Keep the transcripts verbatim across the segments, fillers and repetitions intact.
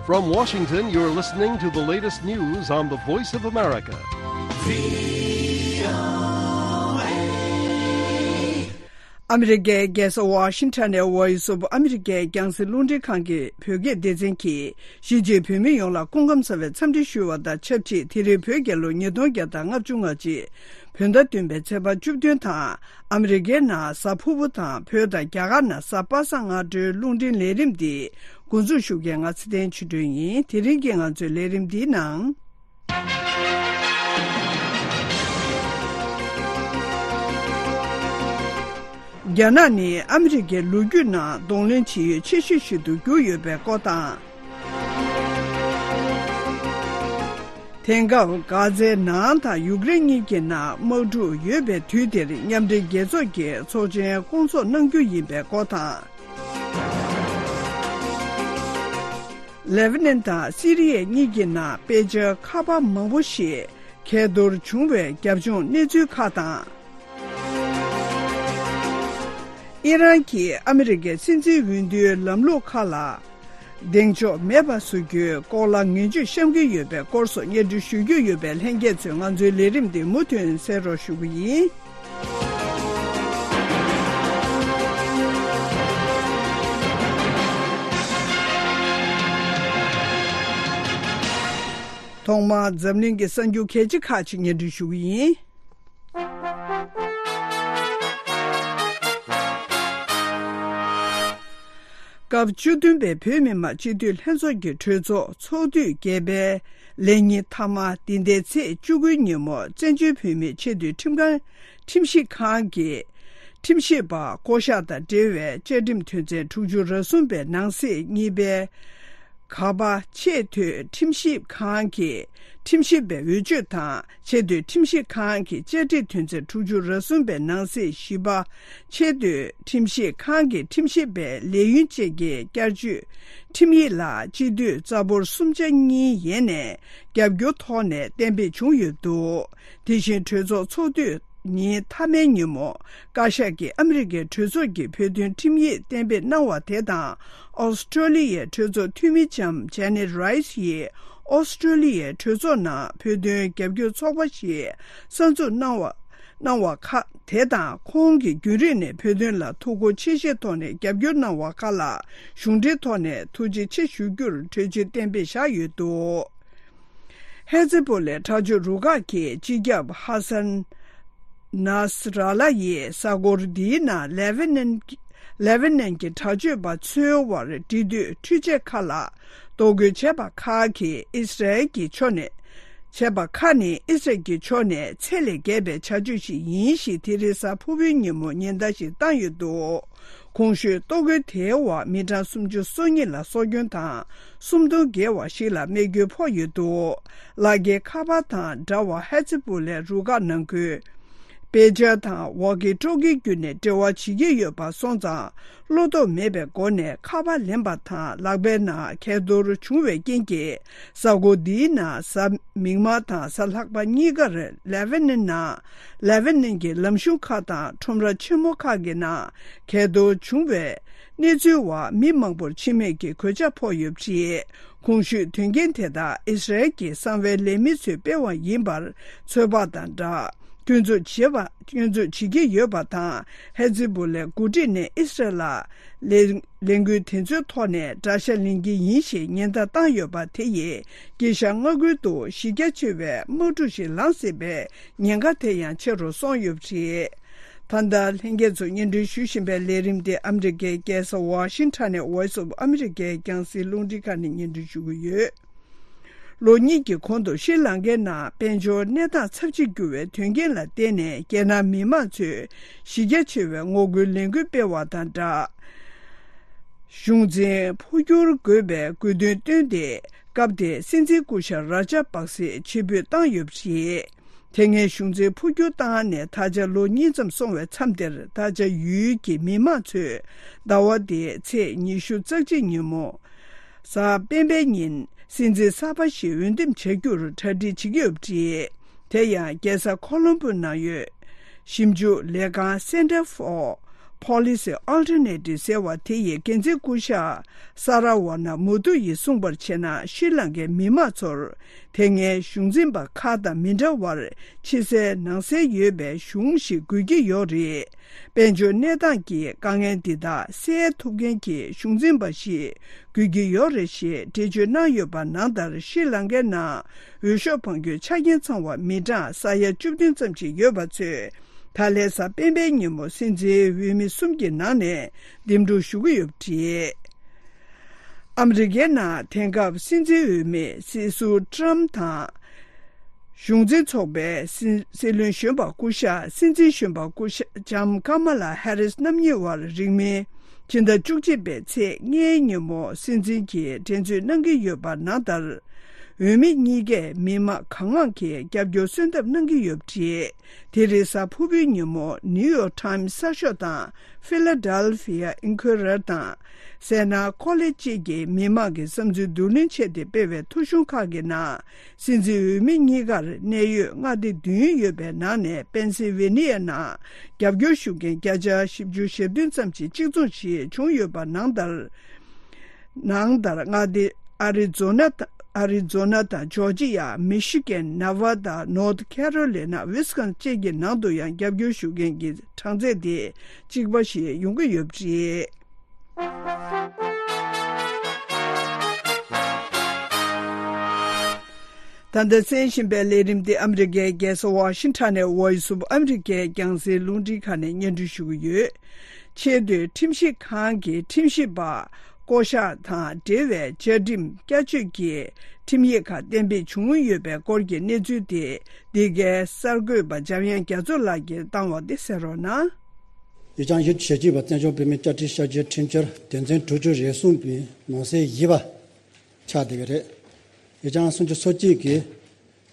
From Washington, you're listening to the latest news on the Voice of America. ཨ་མི་རི་ཀའི་རྒྱལ་ས་ཝ་ཤིང་ཊོན་ནས་Voice of America རྒྱང་སྲིང་རླུང་འཕྲིན་ཁང་གི་བོད་སྐད་སྡེ་ཚན་གྱིས་གཞིས་བྱེས་བོད་མི་ཡོངས་ལ་སྐུ་ཁམས་བཟང་བའི་འཚམས་འདྲི་ཞུ་བ་དང་ཆབས་ཅིག་དེ་རིང་བོད་རྒྱལ་ལོ་ཉིས་སྟོང་བརྒྱ་དང་ལྔ་བཅུ་ང་གཅིག་བོད་ཟླ་བདུན་པའི་ཚེས་པ་བཅུ་བདུན་དང་། ཨ་མི་རི་ཀའི་ནང་གཟའ་ཕུར་བུ་དང་བོད་དང་རྒྱ་གར་ནང་གཟའ་པ་སངས་སྔ་དྲོའི་རླུང་འཕྲིན་ལས་རིམ་འདི་འགོ་འཛུགས་ཞུ་མཁན་ང་ཚེ་བརྟན་ཆོས་སྒྲོན་ཡིན། དེ་རིང་གི་ང་ཚོའི་ལས་རིམ་འདིའི་ནང་། རྒྱ་ནག་ནི་ཨ་མི་རི་ཀའི་ལོ་རྒྱུས་ནང་གདོང་ལེན་བྱེད་ཡུལ་ཆེ་ཤོས་ཤིག་ཏུ་གྱུར་ཡོད་པའི་སྐོར་དང་། དེང་སྐབས་གྷ་ཛའི་ནང་དང་ཡུཀ་རེན་གཉིས་ཀྱི་ནང་དམག་འཁྲུག་ཡོད་པའི་དུས་དེར་མཉམ་འབྲེལ་རྒྱལ་ཚོགས་ཀྱི་ཚོགས་ཆེན་སྐོང་ཚོགས་གནང་རྒྱུ་ཡིན་པའི་སྐོར་དང་། ལེ་བྷ་ནན་དང་སི་རི་ཡ་གཉིས་ཀྱི་ནང་དཔེ་ཆ་ཁ་པར་མང་པོ་ཞིག་གས་གཏོར་བྱུང་བའི་རྒྱབ་ལྗོངས་གནས་ཚུལ་ཁག་དང་། ཨི་རན་གྱིས་ཨ་མི་རི་ཀའི་སྲིད་འཛིན་འོས་བསྡུའི་ལམ་ལུགས་ཁག་ལ་གདེང་འཇོག་མེད་པ་བཟོ་རྒྱུའི་སྐོར་ལ་ངན་ཇུས་བཤམས་ཀྱི་ཡོད་པའི་སྐོར་སོགས་སྙན་སྒྲོན་ཞུ་རྒྱུ་ཡོད་པས། ལྷན་རྒྱས་ཚོས་ང་ཚོའི་ལས་རིམ་འདི་མུ་མཐུད་གསན་རོགས་ཞུ་གི་ཡིན། ཐོག་མར་འཛམ་གླིང་གི་གསར་འགྱུར་གལ་ཆེ་ཁག་ཅིག་སྙན་སྒྲོན་ཞུ་གི་ཡིན། སྐབས་བཅུ་བདུན་པའི་བོད་མི་མང་སྤྱི་འཐུས་ལྷན་ཚོགས་ཀྱི་གྲོས་ཚོགས་ཚོགས་དུས་བརྒྱད་པའི་ལས་ཉིན་མཐའ་མ་འདི་ཟླའི་ཚེས་བཅུ་དགུའི་ཉིན་མོ་བཙན་བྱོལ་བོད་མིའི་ཆེས་མཐོའི་ཁྲིམས་ཁང་ཁྲིམས་ཞིབ་ཁང་གི་ཁྲིམས་ཞིབ་པ་བསྐོ་གཞག་དང་འབྲེལ་བའི་བཅའ་ཁྲིམས་དོན་ཚན་དྲུག་ཅུ་རེ་གསུམ་པའི་ནང་གསེས་གཉིས་པའི་ག་པ་ཆེས་མཐོའི་ཁྲིམས་ཞིབ་ཁང་གི་ཁྲིམས་ཞིབ་པའི་འོས་ཆོས་དང་། ཆེས་མཐོའི་ཁྲིམས་ཞིབ་ཁང་གི་བཅའ་ཁྲིམས་དོན་ཚན་དྲུག་ཅུ་རེ་གསུམ་པའི་ནང་གསེས་བཞི་པ་ཆེས་མཐོའི་ཁྲིམས་ཞིབ་ཁང་གི་ཁྲིམས་ཞིབ་པའི་ལས་ཡུན་བཅས་ཀྱི་བསྐྱར་བཅོས་ཁྲིམས་ཡིག་ལ་སྤྱི་འཐུས་རྩ་འབོར་གསུམ་ཆ་གཉིས་ཡན་ནས་རྒྱབ་སྐྱོར་ཐོག་ནས་གཏན་འབེབས་བྱུང་ཡོད་འདུག་དེ་བཞིན་གྲོས་ཚོགས་ཚོགས་དུས་ཉིན་མཐའ་མའི་ཉིན་མོ། བཀའ་ཤག་གིས་ཨ་མི་རི་ཀའི་གྲོས་ཚོགས་ཀྱི་བོད་དོན་ཁྲིམས་ཡིག་གཏན་འབེབས་གནང་བ་དེ་དང་། ཨོ་སི་ཀྲོ་ལི་ཡའི་གྲོས་ཚོགས་འཐུས་མི་ལྕམ་ཇེ་ནེ་རའི་སི་ཡིས་ཨོ་སི་ཀྲོ་ལི་ཡའི་གྲོས་ཚོགས་ནང་བོད་དོན་རྒྱབ་སྐྱོར་ཚོགས་པ་ཞིག་གསར་འཛུགས་གནང་བ་གནང་བ་ཁག་དེ་དང་། ཁོང་གིས་རྒྱུན་རིང་ནས་བོད་དོན་ལ་ཐུགས་ཁུར་ཆེ་བཞེས་ཐོག་ནས་རྒྱབ་སྐྱོར་གནང་བ་ཁག་ལ་གཞུང་འབྲེལ་ཐོག་ནས་ཐུགས་རྗེ་ཆེ་ཞུ་རྒྱུར་གྲོས་ཆོད་གཏན་འབེབས་བཞག་ཡོད་འདུག་ཧེ་ཛི་བྷོ་ལའི་དྲག་སྤྱོད་རུ་ཁག་གིས་སྤྱི་ཁྱབ་ཧ་སན་ནཱས་ར་ལ་ཡི་ས་གོར་འདིའི་ནང་ལེ་བྷ་ནན་ལེ་བྷ་ནན་གྱི་དྲག་སྤྱོད་པ་ཚོའི་དབར་འབྲེལ་མཐུད་འཕྲུལ་ཆས་ཁག་ལ་གཏོར་རྒོལ་བྱས་པ་ཁག་གིས་ཨིས་ར་ཨེལ་གྱི་ཕྱོགས་ནས་བྱས་པ་ཁག་ནི་ཨིས་ར་ཨེལ་གྱི་ཕྱོགས་ནས་ཚད་ལས་བརྒལ་བའི་བྱ་སྤྱོད་ཞིག་ཡིན་ཞེས་དེ་རིང་གཟའ་ཕུར་བུའི་ཉིན་མོ་ཉེན་བརྡ་ཞིག་བཏང་ཡོད་འདུག་གོང་ཞུས་གཏོར་རྒོལ་དེའི་འོག་མི་གྲངས་སུམ་ཅུ་སོ་གཉིས་ལ་སྲོག་སྐྱོན་དང་། སུམ་སྟོང་བརྒལ་བ་ཞིག་ལ་རྨས་སྐྱོན་ཕོག་ཡོད་འདུག་ལག་འཁྱེར་ཁ་པར་དང་འདྲ་བ་ཧེ་ཛི་བྷོ་ལའི་རུ་ཁག་ནང་ཁུལ་དཔེ་ཆ་དང་ཝོག་ཀི་ཊོག་ཀི་བརྒྱུད་ནས་འབྲེལ་བ་བྱེད་ཀྱི་ཡོད་པ་སོང་ཙང་། བློ་དོགས་མེད་པའི་སྒོ་ནས་ཁ་པར་ལེན་པ་དང་། ལག་པའི་ནང་གས་གཏོར་བྱུང་བའི་རྐྱེན་གྱིས། གཟའ་འཁོར་འདིའི་ནང་གཟའ་མིག་དམར་དང་གཟའ་ལྷག་པ་གཉིས་ཀར་ལེ་བྷ་ནན་ནང་། ལེ་བྷ་ནན་གྱི་ལམ་གཞུང་ཁག་དང་ཁྲོམ་ར་ཆེན་མོ་ཁག་གི་ནང་གས་གཏོར་བྱུང་བའི་གནས་ཚུལ་འོག་མི་མང་པོར་འཆི་རྨས་ཀྱི་གོད་ཆག་ཕོག་ཡོད་པ་རེད། གོང་ཞུས་དོན་རྐྱེན་དེ་དག་ཨིས་ར་ཨེལ་གྱི་གསང་བའི་ལས་མི་ཚོས་སྤེལ་བ་ཡིན་པར་ཚོད་དཔག་དང་སྦྲགས། སྐྱོན་འཛུགས་བྱེད་པ། སྐྱོན་འཛུགས་བྱེད་ཀྱི་ཡོད་པ་དང་། ཧེ་ཛི་བྷོ་ལའི་འགོ་ཁྲིད་ནས་ཨིས་ར་ཨེལ་ལ་ལས་ལས་འགུལ་དེ་ཚོའི་ཐོག་ནས་དགྲ་ཤ་ལེན་གྱི་ཡིན་ཞེས་ཉེན་བརྡ་བཏང་ཡོད་པ་དེ་ཡིས་དཀྱིལ་ཤར་མངའ་ཁུལ་དུ་གཞི་རྒྱ་ཆེ་བའི་དམག་འཁྲུག་ཞིག་ལངས་སྲིད་པའི་ཉེན་ཁ་དེ་ཡང་ཆེ་རུ་སོང་ཡོད་པ་རེད། ད་ལྟ་ལྷན་རྒྱས་ཚོ་སྙན་སྒྲོན་ཞུ་བཞིན་པའི་ལས་རིམ་དེ་ཨ་མི་རི་ཀའི་རྒྱལ་ས་ཝ་ཤིང་ཊོན་ནས་Voice of America རྒྱང་སྲིང་རླུང་འཕྲིན་ཁང་ནས་སྙན་སྒྲོན་ཞུ་གི་ཡོད། ལོ་གཉིས་ཀྱི་གོང་དུ་ཤྲི་ལང་ཀའི་ནང་དཔལ་འབྱོར་གནས་སྟངས་ཚབས་ཆེར་འགྱུར་བའི་དོན་རྐྱེན་ལ་བརྟེན་ནས། རྒྱལ་ནང་མི་མང་ཚོས་གཞི་རྒྱ་ཆེ་བའི་ངོ་རྒོལ་ལས་འགུལ་སྤེལ་བ་དང་སྦྲགས། གཞུང་འཛིན་འཕོ་འགྱུར་དགོས་པའི་དགོས་འདུན་བཏོན་ཏེ། སྐབས་དེའི་སྲིད་འཛིན་སྐུ་ཞབས་ར་ཇབ་པག་སེ་ཕྱིར་འབུད་བཏང་ཡོད་པ་རེད། དེ་སྔའི་གཞུང་འཛིན་འཕོ་འགྱུར་བཏང་ནས་ད་ཆ་ལོ་གཉིས་ཙམ་སོང་བའི་མཚམས་དེར། ད་ཆ་ཡུལ་གྱི་མི་མང་ཚོས་ཟླ་བ་འདིའི་ཚེས་ཉི་ཤུ་རྩ་གཅིག་ཉིན་མོ། གཟའ་སྤེན་པའི་ཉིན་སྲིད་འཛིན་གསར་པ་ཞིག་འོས་འདེམས་བྱ་རྒྱུར་གྲ་སྒྲིག་བྱེད་ཀྱི་ཡོད་པ་རེད། དེ་ཡང་རྒྱལ་ས་ཁོ་ལོམ་པོ་ནང་ཡོད་ཞིབ་འཇུག་ལས་ཁང་Center for Policy Alternative ཟེར་བ་དེ་ཡི་འགན་འཛིན་སྐུ་ཞབས་ས་ར་ཝ་ན་མུ་ཏུ་ཡིས་གསུངས་པར་བྱས་ན། ཤྲི་ལང་ཀའི་མི་དམངས་ཚོར་དེ་སྔའི་གཞུང་འཛིན་པ་ཁག་དང་མི་འདྲ་བར་ཕྱི་གསལ་ནང་གསལ་ཡོད་པའི་གཞུང་ཞིག་དགོས་ཀྱི་ཡོད་རེད། དཔལ་འབྱོར་གནས་སྟངས་ཀྱི་དཀའ་ངལ་འདི་དག་སེལ་ཐུབ་མཁན་གྱི་གཞུང་འཛིན་པ་ཞིག་དགོས་ཀྱི་ཡོད་རེད་ཞེས་འགྲེལ་བརྗོད་གནང་ཡོད་པ་ནང་ལྟར། ཤྲི་ལང་ཀའི་ནང་འོས་ཤོག་འཕང་རྒྱུའི་ཆ་རྐྱེན་ཚང་བ་མི་གྲངས་ས་ཡ་བཅུ་བདུན་ཙམ་ཞིག་ཡོད་པ་ཚོས། ད་ལན་གཟའ་སྤེན་པའི་ཉིན་མོ་སྲིད་འཛིན་འོས་མི་གསུམ་གྱི་ནང་ནས་འདེམས་སྒྲུག་ཞུ་གི་ཡོད་པ་རེད། ཨ་མི་རི་ཀའི་ནང་དེང་སྐབས་སྲིད་འཛིན་འོས་མི་སྲིད་ཟུར་ཊམ་དང་། གཞུང་འཛིན་ཚོགས་པའི་སྲིད་སྲིད་བློན་གཞོན་པ་སྐུ་ཞབས། སྲིད་འཛིན་གཞོན་པ་སྐུ་ཞབས་ལྕམ་ཀ་མ་ལ་ཧེ་རིས་རྣམ་གཉིས་དབར་རིང་མིན་ཕྱི་ཟླ་བཅུ་གཅིག་པའི་ཚེས་ལྔའི་ཉིན་མོ་སྲིད་འཛིན་གྱི་འགྲན་རྩོད་གནང་གི་ཡོད་པ་ནང་ལྟར། འོས་མི་གཉིས་ཀས་མི་མང་གང་མང་གིས་རྒྱབ་སྐྱོར་གསོལ་འདེབས་གནང་གི་ཡོད་པ་རེད། དེ་རིང་གཟའ་ཕུར་བུའི་ཉིན་མོ་ནིའུ་ཡོག་ཊའིམ་གསར་ཤོག་དང་ཕི་ལ་ཌེལ་ཕི་ཡ་ཨིན་ཁུ་རེར་དང་། སེ་ན་ཀོ་ལེ་ཇི་བཅས་ཀྱིས་མི་མང་གི་བསམ་ཚུལ་བསྡུ་ལེན་ཆེད་དུ་སྤེལ་བའི་ཐོ་གཞུང་ཁག་གི་ནང་། སྲིད་འཛིན་འོས་མི་གཉིས་ཀར་གནད་ཡོད་མངའ་སྡེ་བདུན་ཡོད་པའི་ནང་ནས་པེན་སིལ་ཝེ་ནི་ཡ་ནང་རྒྱབ་སྐྱོར་ཞུ་མཁན་བརྒྱ་ཆ་བཞི་བཅུ་ཞེ་བདུན་ཙམ་ཞིག་གཅིག་མཚུངས་ཤིག་བྱུང་ཡོད་པ་ནང་ལྟར། ནང་ལྟར་མངའ་སྡེ་ཨ་རི་ཛོ་ན་དང་། ཨ་རི་ཛོ་ན་དང་ཇོར་ཇི་ཡ། མི་ཤི་གན། ནེ་ཝ་ད། ནོར་ཐི་ཁེ་རོ་ལི་ན། ཝིས་ཀོན་སིན་བཅས་ཀྱི་ནང་དུ་ཡང་རྒྱབ་སྐྱོར་ཞུ་མཁན་གྱི་གྲངས་ཚད་དེ་གཅིག་པ་ཞིག་ཡོང་གི་ཡོད་པ་རེད། ད་ལྟ་གསན་བཞིན་པའི་ལས་རིམ་འདི་ཨ་མི་རི་ཀའི་རྒྱལ་ས་ཝ་ཤིང་ཊོན་ནས་Voice of America རྒྱང་སྲིང་རླུང་འཕྲིན་ཁང་ནས་སྙན་སྒྲོན་ཞུ་གི་ཡོད། ཆེས་མཐོའི་ཁྲིམས་ཞིབ་ཁང་གི་ཁྲིམས་ཞིབ་པ་བསྐོ་གཞག་དང་འབྲེལ་བའི་བཅའ་ཁྲིམས་བསྐྱར་བཅོས་ཀྱི་ཁྲིམས་ཡིག་ཁག་གཏན་འབེབས་བྱུང་ཡོད་པའི་སྐོར་གྱི་གནས་ཚུལ་དེ། འདི་གའི་གསར་འགོད་པ་འཇམ་དབྱངས་རྒྱ་མཚོ་ལགས་ཀྱིས་བཏང་བ་དེ་གསན་རོགས་གནང་། ཡུལ་ལྗོངས་ཡུལ་གྱི་ཞབས་ཕྱི་བ་བཙན་བྱོལ་བོད་མིའི་བཅའ་ཁྲིམས་ཤར་བསྐྱོད་ཁྲིམས་འཆར་དོན་ཚན་དྲུག་ཅུ་རེ་གསུམ་པའི་ནང་གསེས་བཞི་པ་ཆགས་བསྡད་ཀྱི་རེད། ཡུལ་ལྗོངས་སུམ་ཅུ་སོ་གཅིག་གི་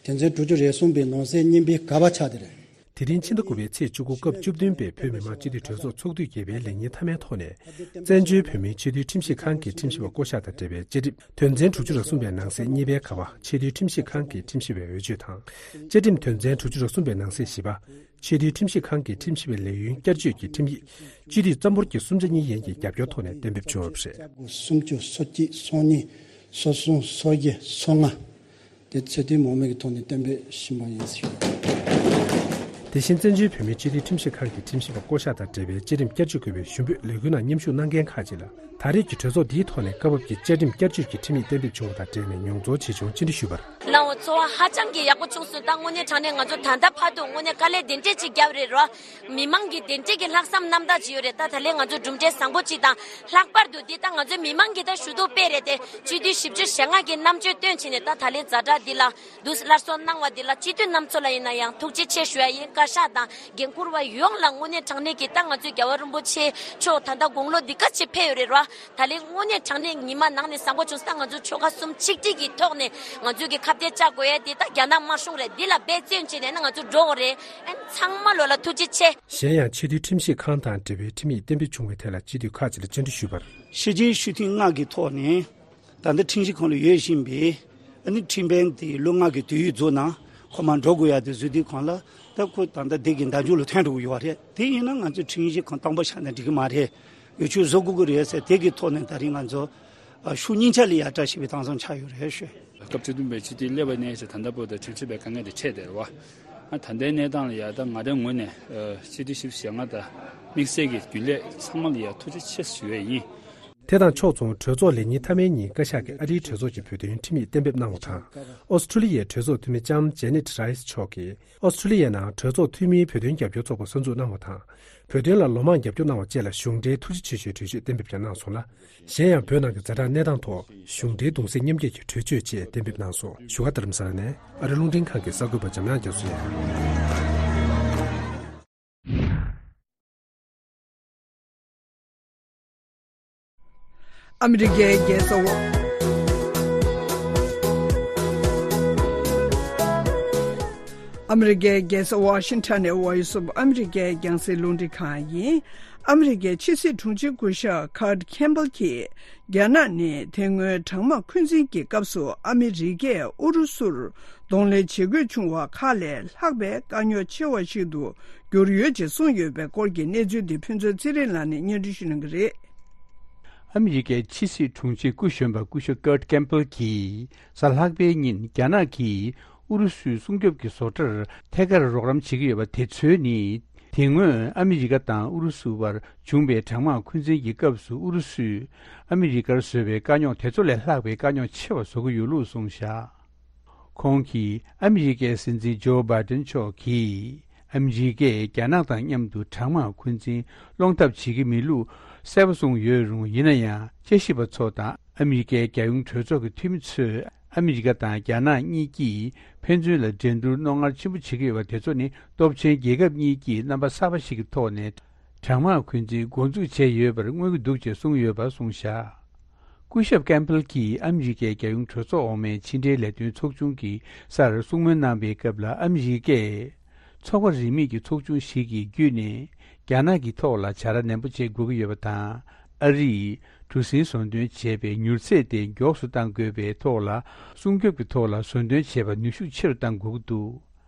དོན་ཚན་དྲུག་ཅུ་རེ་གསུམ་པའི་ནང་གསེས་གཉིས་པའི་ག་པ་ཆགས་བསྡད་རེད། དེ་རིང་ཕྱི་ཟླ་དགུ་པའི་ཚེས་བཅུ་དགུ་སྐབས་བཅུ་བདུན་པའི་བོད་མི་མང་སྤྱི་འཐུས་གྲོས་ཚོགས་ཚོགས་དུས་བརྒྱད་པའི་ལས་ཉིན་མཐའ་མའི་ཐོག་ནས། བཙན་བྱོལ་བོད་མིའི་ཆེས་མཐོའི་ཁྲིམས་ཞིབ་ཁང་གི་ཁྲིམས་ཞིབ་པ་བསྐོ་གཞག་དང་འབྲེལ་བའི་བཅའ་ཁྲིམས་དོན་ཚན་དྲུག་ཅུ་རེ་གསུམ་པའི་ནང་གསེས་གཉིས་པའི་ག་པ། ཆེས་མཐོའི་ཁྲིམས་ཞིབ་ཁང་གི་ཁྲིམས་ཞིབ་པའི་འོས་ཆོས་དང་། བཅའ་ཁྲིམས་དོན་ཚན་དྲུག་ཅུ་རེ་གསུམ་པའི་ནང་གསེས་བཞི་པ། ཆེས་མཐོའི་ཁྲིམས་ཞིབ་ཁང་གི་ཁྲིམས་ཞིབ་པའི་ལས་ཡུན་བསྐྱར་བཅོས་ཀྱི་ཁྲིམས་ཡིག་སྤྱི་འཐུས་རྩ་འབོར་གྱི་གསུམ་ཆ་གཉིས་ཡན་གྱི་རྒྱབ་སྐྱོར་ཐོག་ནས་གཏན་འབེབས་བྱུང་བ་རེད། སུམ་ཅུ་སོ་གཅིག་སོ་གཉིས་སོ་གསུམ་སོ་བཞི་སོ་ལྔ། དེ་ཚོད་ལྟའི་མང་མོས་ཀྱི་ཐོག་ནས་གཏན་འབེབས་ཕྱིན་པ་ཡིན་ཟེར། དེ་བཞིན་བཙན་བྱོལ་བོད་མིའི་སྤྱི་འཐུས་ཁྲིམས་ཞིབ་ཁང་གི་ཁྲིམས་ཞིབ་པ་བསྐོ་གཞག་དང་འབྲེལ་བའི་བཅའ་ཁྲིམས་བསྐྱར་བཅོས་དགོས་པའི་ཞུ་འབོད་ལས་འགུལ་ནང་མཉམ་ཞུགས་གནང་མཁན་ཁག་ཅིག་ལ། ད་རེས་ཀྱི་གྲོས་ཚོགས་འདིའི་ཐོག་ནས་སྐབས་བབ་ཀྱི་བཅའ་ཁྲིམས་བསྐྱར་བཅོས་ཀྱི་ཁྲིམས་ཡིག་གཏན་འབེབས་བྱུང་བ་དང་འབྲེལ་ནས་མྱོང་ཚོར་ཇི་བྱུང་སྤྱན་འབུལ་ཞུས་པར། གནང་བ་ཚོར་བ་ཧ་ཅང་གི་ཡག་པོ་བྱུང་སོང་། ད་དངོས་གནས་དྲང་གནས་ང་ཚོ་ད་ལྟ་བར་དུ་དངོས་གནས་དཀའ་ལས་དེ་འདྲས་ཅིག་བརྒྱབ་རེད་རོ། མི་མང་གི་དེ་འདྲས་ཀྱི་ལྷག་བསམ་རྣམ་དག་ཅིག་ཡོད་རེད། ད་ད་ལན་ང་ཚོ་གྲུབ་འབྲས་བཟང་པོ་ཅིག་དང་། ལྷག་པར་དུ་འདི་ད་ང་ཚོའི་མི་མང་གིས་ད་ཞུ་གཏུག་སྤེལ་རེད་དེ། སྤྱི་འཐུས་བཞི་བཅུ་ཞེ་ལྔ་གིས་རྣམ་དཔྱོད་བཏོན་བྱས་ནས་ད་ད་ལན་ཛ་དྲག་འདི་ལ་འདུག་སླར་གསོ་གནང་བ་འདི་ལ་སྤྱི་འཐུས་རྣམ་ཚོ་ལ་ཡིན་ན་ཡང་ཐུགས་རྗེ་ཆེ་ཞུ་ཡ་ཡིན། བཀའ་ཤག་དང་འགན་འཁུར་བ་ཡོངས་ལ་དངོས་གནས་དྲང་གནས་ཀྱི་ད་ང་ཚོའི་རྒྱལ་བ་རིན་པོ་ཆེ་མཆོག་ད་ལྟ་དགུང་ལོ་འདི་ག་ཅིག་ཕེབས་ཡོད་རེད་རོ། ད་ལན་དངོས་གནས་དྲང་གནས་ཉི་མ་ནང་ནས་བཟང་པོ་བྱུང་སྟེ། ད་ང་ཚོ་ཆོལ་ཁ་གསུམ་ཆིག་སྒྲིལ་གྱི་ཐོག་ནས་ང་ཚོས་ཀྱི་ཁ་གཏད་བཅག་དགོས་ཡ་འདི་ད་རྒྱ་ནག་དམར་གཞུང་རེད། འདི་ལ་འབད་བརྩོན་བྱས་ནས་ན་ང་ཚོ་འགྲོ་དགོས་རེད། ཨ་ནི་ཚང་མ་ལོ་ལ་ཐུགས་རྗེ་ཆེ། གཞན་ཡང་ཆེས་མཐོའི་ཁྲིམས་ཞིབ་ཁང་དང་འབྲེལ་བའི་ཁྲིམས་ཡིག་གཏན་འབེབས་བྱུང་བའི་ཐད་ལ་སྤྱི་འཐུས་ཁག་ཅིག་ལ་བཅར་འདྲི་ཞུས་པར། ཕྱི་རྒྱལ་སྤྱི་འཐུས་ལྔ་གི་ཐོག་ནས་ད་ལྟ་ཁྲིམས་ཞིབ་ཁང་ལ་ཡོད་བཞིན་པའི་ཨ་ནི་ཁྲིམས་དཔོན་དེ་ལོ་ལྔ་གི་དུས་ཡུན་རྫོགས་ན་ཁོ་མར་འགྲོ་དགོས་ཡ་དེ་བཟོས་དུས་གང་ལ་ད་ཁོ་ད་ལྟ་དེ་གི་འདང་རྒྱུག་ལ་ཐོན་འགྲོ་གི་ཡོད་རེད། དེ་ཡིན་ན་ང་ཚོས་ཁྲིམས་ཞིབ་ཁང་དང་པོ་ཆགས་ན་འགྲིག་གི་མ་རེད། འོས་ཆོས་བཟོ་དགོས་ཀྱི་རེད་ཟེར། དེ་གི་ཐོག་ནས་ད་རིང་ང་ཚོ་ཨ་ཤུགས་སྙིང་ཆ་ལ་ཡ་བཀྲ་ཤིས་པའི་མཐའ་མཚམས་ཆགས་ཡོད་རེད་ཞུ། སྐབས་བཅུ་བདུན་པའི་སྤྱི་འཐུས་སླེབས་པ་ནས་བྱས་ད་ལྟ་བར་དུ་ཁྲིམས་ཞིབ་པའི་དཀའ་ངལ་དེ་འཕྲད་བསྡད་རེད་བ། ཨ་ད་ལྟའི་གནས་སྟངས་ལ་ཡ་ད་ང་རའི་ངོས་ནས་ཨ་སྤྱི་འཐུས་བཞི་བཅུ་ཞེ་ལྔ་དང་དམིགས་བསལ་གྱི་རྒྱུན་ལས་ཚང་མ་ལ་ཡ་ཐུགས་རྗེ་ཆེ་ཞུ་ཡས་ཡིན། དེ་དང་ཕྱོགས་མཚུངས་གྲོས་ཚོགས་ལས་ཉིན་མཐའ་མའི་ཉིན་བཀའ་ཤག་གིས་ཨ་རིའི་གྲོས་ཚོགས་ཀྱི་བོད་དོན་ཁྲིམས་ཡིག་གཏན་འབེབས་གནང་བ་དང་། ཨོ་སི་ཁྲུ་ལི་ཡའི་གྲོས་ཚོགས་འཐུས་མི་ལྕམ་ཇེ་ནེ་ཊི་རའི་སི་མཆོག་གིས་ཨོ་སི་ཁྲུ་ལི་ཡའི་ནང་གྲོས་ཚོགས་འཐུས་མིའི་བོད་དོན་རྒྱབ་སྐྱོར་ཚོགས་པ་གསར་འཛུགས་གནང་བ་དང་། བོད་དོན་ལ་ལོ་མང་རྒྱབ་སྐྱོར་གནང་བ་བཅས་ལ་གཞུང་འབྲེལ་ཐུགས་རྗེ་ཆེ་ཞུའི་གྲོས་ཆོད་གཏན་འབེབས་ཀྱང་གནང་སོང་ལ། གཞན་ཡང་བོད་ནང་གི་ཛ་དྲག་གནས་སྟངས་ཐོག་གཞུང་འབྲེལ་གདུང་སེམས་མཉམ་སྐྱེད་ཀྱི་གྲོས་ཆོད་བཅས་གཏན་འབེབས་གནང་སོང་། བཞུགས་སྒར་རྡ་རམ་ས་ལ་ནས་ཨ་རི་རླུང་འཕྲིན་ཁང་གི་གསར་འགོད་པ་འཇམ་དབྱངས་རྒྱ་མཚོ་ཡིན། ཨ་མི་རི་ཀའི་རྒྱལ་ས་ཝ། ཨ་མི་རི་ཀའི་རྒྱལ་ས་ཝ་ཤིང་ཊོན་ནས་ཝོ་ཡི་སི་ཨོཕ་ཨ་མི་རི་ཀའི་རྒྱང་སྲིང་རླུང་འཕྲིན་ཁང་ཡིན། ཨ་མི་རི་ཀའི་ཕྱི་སྲིད་དྲུང་ཆེ་སྐུ་ཞབས་ཁར་ཁེམ་བྷལ་གྱིས། རྒྱ་ནག་ནི་དེ་སྔོན་གྲང་དམག་འཁོན་འཛིན་གྱི་སྐབས་སུ་ཨ་མི་རི་ཀས་ཨུ་རུ་སུར་གདོང་ལེན་བྱེད་དགོས་བྱུང་བ་ཁག་ལས་ལྷག་པའི་དཀའ་རྙོག་ཆེ་བ་ཞིག་ཏུ་གྱུར་ཡོད་ཅེས་གསུངས་ཡོད་པའི་སྐོར་གྱི་གནས་ཚུལ་འདི་ཕུན་ཚོགས་ཚེ་རིང་ལགས་ནས་སྙན་སྒྲོན་ཞུ་གནང་གི་རེད། ཨ་མི་རི་ཀའི་ཕྱི་སྲིད་དྲུང་ཆེ་སྐུ་གཞོན་པ་སྐུ་ཞབས་ཀར་ཁེམ་བྷལ་གྱིས་གཟའ་ལྷག་པའི་ཉིན་རྒྱ་ནག་གིས་ཨུ་རུ་སུའི་སྲུང་སྐྱོབ་ཀྱི་བཟོ་གྲྭར་ཐད་ཀར་རོགས་རམ་བྱེད་ཀྱི་ཡོད་པ་དེ་ཚོ་ནི། དེ་སྔོན་ཨ་མི་རི་ཀ་དང་ཨུ་རུ་སུ་བར་བྱུང་བའི་གྲང་དམག་འཁོན་འཛིན་གྱི་སྐབས་སུ་ཨུ་རུ་སུས་ཨ་མི་རི་ཀར་བཟོས་པའི་དཀའ་རྙོག་དེ་ཚོ་ལས་ལྷག་པའི་དཀའ་རྙོག་ཆེ་བ་བཟོ་གི་ཡོད་ལུགས་གསུངས་བཞག་ཁོང་གིས་ཨ་མི་རི་ཀའི་སྲིད་འཛིན་ཇོ་བྷའི་ཏན་མཆོག་གིས་ཨ་མི་རི་ཀས་རྒྱ་ནག་དང་མཉམ་དུ་གྲང་དམག་འཁོན་འཛིན་སློང་ཐབས་བྱེད་ཀྱི་མེད་ལུགས་གསལ་པོ་གསུངས་ཡོད་རུང་། ཡིན་ན་ཡང་དཔྱད་ཞིབ་པ་ཚོ་དང་ཨ་མི་རི་ཀའི་རྒྱལ་ཡོངས་གྲོས་ཚོགས་ཀྱི་འཐུས་མི་ཚོས་ཨ་མི་རི་ཀ་དང་རྒྱ་ནག་གཉིས་ཀྱིས་ཕན་ཚུན་ལ་འགྲན་བསྡུར་རྣོ་ངར་ཆེན་པོ་བྱེད་ཀྱི་ཡོད་པ་དེ་ཚོ་ནི་སྟོབས་ཆེན་རྒྱལ་ཁབ་གཉིས་ཀྱིས་རྣམ་པ་གསར་པ་ཞིག་གི་ཐོག་ནས་གྲང་དམག་འཁོན་འཛིན་འགོ་འཛུགས་བྱས་ཡོད་པར་མངོན་གྱི་འདུག་ཅེས་གསུངས་ཡོད་པ་གསུངས་བཞག་སྐུ་ཞབས་ཀེམ་པེལ་གྱིས་ཨ་མི་རི་ཀའི་རྒྱལ་ཡོངས་གྲོས་ཚོགས་འོག་མའི་ཕྱི་འབྲེལ་ལས་དོན་ཚོགས་ཆུང་གི་སར་གསུང་མོལ་གནང་བའི་སྐབས་ལ། ཨ་མི་རི་ཀས་ཚོགས་པ་རིས་མེད་ཀྱི་ཚོགས་ཆུང་ཞིག་གི་བརྒྱུད་ནས་རྒྱ་ནག་གི་ཐོག་ལ་བྱ་ར་ནན་པོ་བྱེད་དགོས་ཀྱི་ཡོད་པ་དང་། ཨ་རིས་གྲུ་གཟིངས་བཟོ་འདོན་བྱས་པའི་མྱུར་ཚད་དེ་མགྱོགས་སུ་གཏང་དགོས་པའི་ཐོག་ལ། སྲུང་སྐྱོབ་ཀྱི་ཐོག་ལ་བཟོ་འདོན་བྱས་པ་ནུས་ཤུགས་ཆེ་རུ་གཏང་དགོས་ཀྱི་འདུག་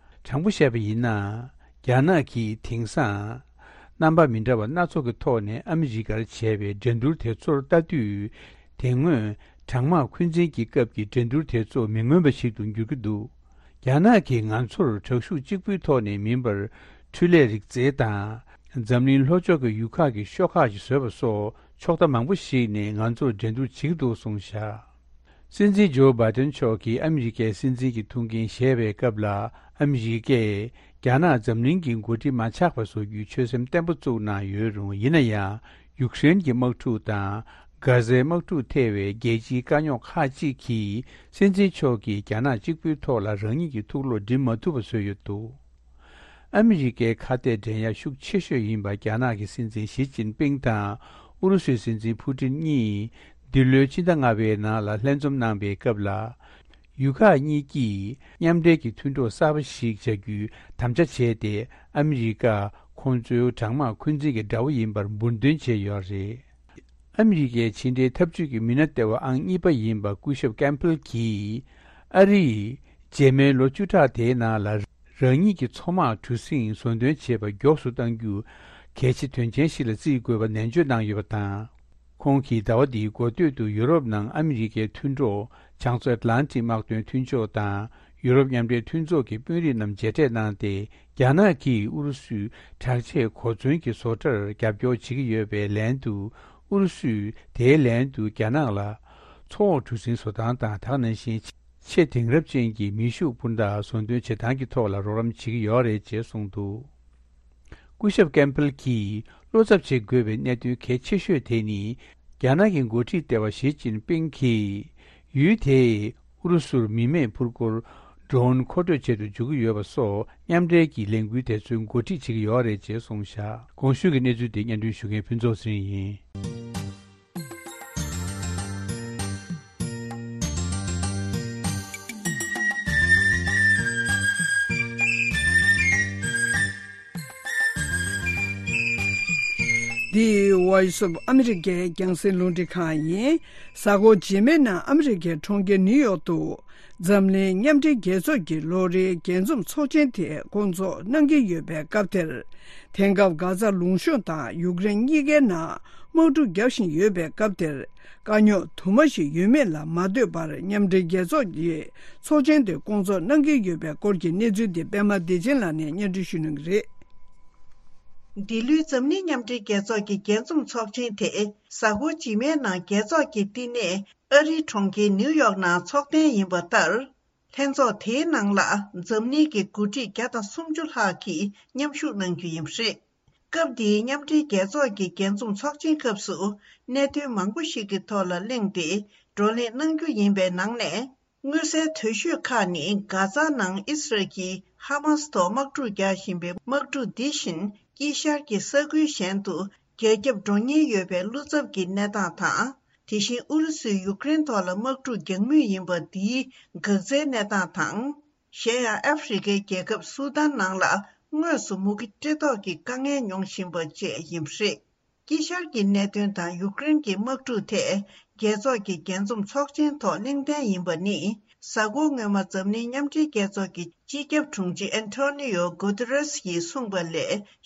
དྲང་པོ་བཤད་པ་ཡིན་ན། རྒྱ་ནག་གིས་དེང་སང་རྣམ་པ་མི་འདྲ་བ་སྣ་ཚོགས་ཀྱི་ཐོག་ནས་ཨ་མི་རི་ཀར་བྱས་པའི་འགྲན་བསྡུར་དེ་ཚོར་ལྟ་དུས། དེ་སྔོན་གྲང་དམག་འཁོན་འཛིན་གྱི་སྐབས་ཀྱི་འགྲན་བསྡུར་དེ་ཚོ་མི་མངོན་པ་ཞིག་ཏུ་འགྱུར་གྱི་འདུག་རྒྱ་ནག་གིས་ང་ཚོར་དྲག་ཤུགས་གཅིག་པུའི་ཐོག་ནས་མིན་པར། འཕྲུལ་ལས་རིག་རྩལ་དང་། འཛམ་གླིང་ལྷོ་ཕྱོགས་ཀྱི་ཡུལ་ཁག་གི་ཤོག་ཁག་ཅིག་བཟོས་པ་སོགས་ཕྱོགས་མཐའ་མང་པོ་ཞིག་ནས་ང་ཚོར་འགྲན་བསྡུར་བྱེད་ཀྱི་འདུག་གསུངས་བཞག་སྲིད་འཛིན་ཇོ་བྷའི་ཏན་མཆོག་གིས་ཨ་མི་རི་ཀའི་སྲིད་འཛིན་གྱི་ཐུགས་འགན་བཞེས་པའི་སྐབས་ལ། ཨ་མི་རི་ཀས་རྒྱ་ནག་འཛམ་གླིང་གི་འགོ་ཁྲིད་མ་ཆགས་པ་བཟོ་རྒྱུའི་ཆོད་སེམས་བརྟན་པོ་བཙུགས་གནང་ཡོད་རུང་། ཡིན་ན་ཡང་ཡུཀ་རེན་གྱི་དམག་འཁྲུག་དང་། གྷ་ཟའི་དམག་འཁྲུག་ཐེ་བའི་རྒྱལ་སྤྱིའི་དཀའ་རྙོག་ཁག་ཅིག་གིས། སྲིད་འཛིན་མཆོག་གིས་རྒྱ་ནག་གཅིག་པུའི་ཐོག་ལ་རང་ཉིད་ཀྱི་ཐུགས་བློ་འགྲིམ་མ་ཐུབ་པ་བཟོས་ཡོད་འདུག་ཨ་མི་རི་ཀའི་ཁ་གཏད་འགྲན་ཡ་ཤུགས་ཆེ་ཤོས་ཡིན་པ་རྒྱ་ནག་གི་སྲིད་འཛིན་ཞི་ཅིན་ཕིང་དང་ཨུ་རུ་སུའི་སྲིད་འཛིན་ཕུ་ཏིན་གཉིས་འདི་ལོའི་ཕྱི་ཟླ་ལྔ་པའི་ནང་ལ་ལྷན་འཛོམས་གནང་བའི་སྐབས་ལ། ཡུལ་ཁག་གཉིས་ཀྱིས་མཉམ་འབྲེལ་གྱི་མཐུན་གྲོགས་གསར་པ་ཞིག་བྱ་རྒྱུའི་དམ་བཅའ་བྱས་ཏེ། ཨ་མི་རི་ཀ་ཁོང་ཚོའི་གྲང་དམག་འཁོན་འཛིན་གྱི་དགྲ་བོ་ཡིན་པར་འབུར་འདོན་བྱས་ཡོད་རེད། ཨ་མི་རི་ཀའི་ཕྱི་འབྲེལ་འཐབ་ཇུས་ཀྱི་མི་སྣ་ལྟེ་བ་ཨང་གཉིས་པ་ཡིན་པ་སྐུ་ཞབས་ཀེམ་པེལ་གྱིས། ཨ་རིས་རྗེས་མའི་ལོ་བཅུ་ཕྲག་དེའི་ནང་ལ་རང་ཉིད་ཀྱི་མཚོ་དམག་གྲུ་གཟིངས་བཟོ་འདོན་བྱེད་པ་མགྱོགས་སུ་གཏང་རྒྱུ་གལ་ཆེ་དོན་ཆེན་ཞིག་ལ་བརྩི་དགོས་པ་ནན་བརྗོད་གནང་ཡོད་པ་དང་། ཁོང་གིས་ཟླ་བ་འདིའི་འགོ་སྟོད་དུ་ཡུ་རོབ་ནང་ཨ་མི་རི་ཀའི་མཐུན་གྲོགས་བྱང་མཚོ་ཨེཊ་ལན་ཊིག་དམག་དོན་མཐུན་ཕྱོགས་དང་ཡུ་རོབ་མཉམ་འབྲེལ་མཐུན་ཚོགས་ཀྱི་དཔོན་རིགས་རྣམས་མཇལ་འཕྲད་གནང་སྟེ། རྒྱ་ནག་གིས་ཨུ་རུ་སུའི་དྲག་ཆས་གོ་མཚོན་གྱི་བཟོ་གྲྭར་རྒྱབ་སྐྱོར་བྱེད་ཀྱི་ཡོད་པའི་ལན་དུ། ཨུ་རུ་སུས་དེའི་ལན་དུ་རྒྱ་ནག་ལ་མཚོ་འོག་གྲུ་གཟིངས་བཟོ་སྟངས་དང་། དེ་ནང་བཞིན་ཆེས་དེང་རབས་ཅན་གྱི་མེ་ཤུགས་སྤུན་ཟླ་བཟོ་འདོན་བྱེད་སྟངས་ཀྱི་ཐོག་ལ་རོགས་རམ་བྱེད་ཀྱི་ཡོད་རེད་ཅེས་གསུངས་འདུག་སྐུ་ཞབས་ཀེམ་པེལ་གྱིས་བློ་འཚབ་བྱེད་དགོས་པའི་གནད་དོན་གལ་ཆེ་ཤོས་དེ་ནི། རྒྱ་ནག་གི་འགོ་ཁྲིད་ལྟེ་བ་ཞི་ཅིན་ཕིང་གིས་ཡུལ་དེས་ཨུ་རུ་སུར་མི་མེད་འཕུར་འཁོར་ཌོ་རོན་མཁོ་སྤྲོད་བྱེད་དུ་འཇུག་གི་ཡོད་པ་སོགས་མཉམ་འབྲེལ་གྱི་ལས་འགུལ་དེ་ཚོའི་འགོ་ཁྲིད་བྱེད་ཀྱི་ཡོད་རེད་ཅེས་གསུངས་བཞག་གོང་ཞུས་ཀྱི་གནས་ཚུལ་དེ་སྙན་སྒྲོན་ཞུ་མཁན་ཕུན་ཚོགས་ཚེ་རིང་ཡིན། འདི་Voice of America རྒྱང་སྲིང་རླུང་འཕྲིན་ཁང་ཡིན། གཟའ་འཁོར་རྗེས་མའི་ནང་ཨ་མི་རི་ཀའི་གྲོང་ཁྱེར་ནིའུ་ཡོག་ཏུ། འཛམ་གླིང་མཉམ་འབྲེལ་རྒྱལ་ཚོགས་ཀྱི་ལོ་རེའི་རྒྱས་འཛོམས་ཚོགས་ཆེན་དེ་སྐོང་ཚོགས་གནང་གི་ཡོད་པའི་སྐབས་དེར། དེང་སྐབས་གྷ་ཛ་ལུང་གཤོང་དང་ཡུཀ་རེན་གཉིས་ཀའི་ནང་དམག་འཁྲུག་བརྒྱབ་བཞིན་ཡོད་པའི་སྐབས་དེར། དཀའ་རྙོག་དུ་མ་ཞིག་ཡོད་མེད་ལ་མ་ལྟོས་པར། མཉམ་འབྲེལ་རྒྱལ་ཚོགས་ཀྱིས་ཚོགས་ཆེན་དེ་སྐོང་ཚོགས་གནང་གི་ཡོད་པའི་སྐོར་གྱི་གནས་ཚུལ་དེ་པད་མ་བདེ་ཆེན་ལགས་ནས་སྙན་སྒྲོན་ཞུ་གནང་གི་རེད། འདི་ལོའི་འཛམ་གླིང་མཉམ་འབྲེལ་རྒྱལ་ཚོགས་ཀྱི་རྒྱས་འཛོམས་ཚོགས་ཆེན་དེ་གཟའ་འཁོར་རྗེས་མའི་ནང་རྒྱལ་ཚོགས་ཀྱི་བསྟི་གནས་ཨ་རིའི་གྲོང་ཁྱེར་ནིའུ་ཡོག་ནང་འཚོགས་གཏན་ཡིན་པ་ལྟར། ལྷན་ཚོགས་དེའི་ནང་ལ་འཛམ་གླིང་གི་འགོ་ཁྲིད་བརྒྱ་དང་སུམ་ཅུ་ལྷག་གིས་མཉམ་ཞུགས་གནང་རྒྱུ་ཡིན་པ་རེད། སྐབས་འདིའི་མཉམ་འབྲེལ་རྒྱལ་ཚོགས་ཀྱི་རྒྱས་འཛོམས་ཚོགས་ཆེན་སྐབས་སུ་གནད་དོན་མང་པོ་ཞིག་གི་ཐོག་ལ་གླེང་སྟེ་བགྲོ་གླེང་གནང་རྒྱུ་ཡིན་པའི་ནང་ནས། མངོན་གསལ་དོད་ཤོས་ཁག་ནི་གྷ་ཛ་ནང་ཨི་སི་རལ་གྱིས་ཧ་མཱ་སི་ཐོག་དམག་འཁྲུག་རྒྱག་བཞིན་པའི་དམག་འཁྲུག་འདི་བཞིན་དཀྱིལ་ཤར་གྱི་ས་ཁུལ་གཞན་དུ་རྒྱ་ཁྱབ་འགྲོ་ཉེན་ཡོད་པའི་བློ་འཚབ་ཀྱི་གནས་སྟངས་དང་། དེ་བཞིན་ཨུ་རུ་སུས་ཡུཀ་རེན་ཐོག་ལ་དམག་འཁྲུག་རྒྱག་མུས་ཡིན་པ་འདིའི་འགག་རྩའི་གནས་སྟངས་དང་། གཞན་ཡང་ཨ་ཧྥེ་རི་ཁའི་རྒྱལ་ཁབ་སུ་དཱན་ནང་ལ་དངོས་སུ་མུ་གེ་བཀྲེས་ལྟོགས་ཀྱི་དཀའ་ངལ་མྱོང་བཞིན་པ་བཅས་ཡིན་པ་རེད། དཀྱིལ་ཤར་གྱི་གནད་དོན་དང་ཡུཀ་རེན་གྱི་དམག་འཁྲུག་ཐད། རྒྱལ་ཚོགས་ཀྱི་རྒྱས་འཛོམས་ཚོགས་ཆེན་ཐོག་གླེང་སྟེགས་ཡིན་པ་ནི། གཟའ་འཁོར་སྔོན་མ་འཛམ་གླིང་མཉམ་འབྲེལ་རྒྱལ་ཚོགས་ཀྱི་སྤྱི་ཁྱབ་དྲུང་ཆེ་ཨན་ཐོ་ནི་ཡོ་གུ་ཏེ་རེས་ཡིས་གསུངས་པ་ལས་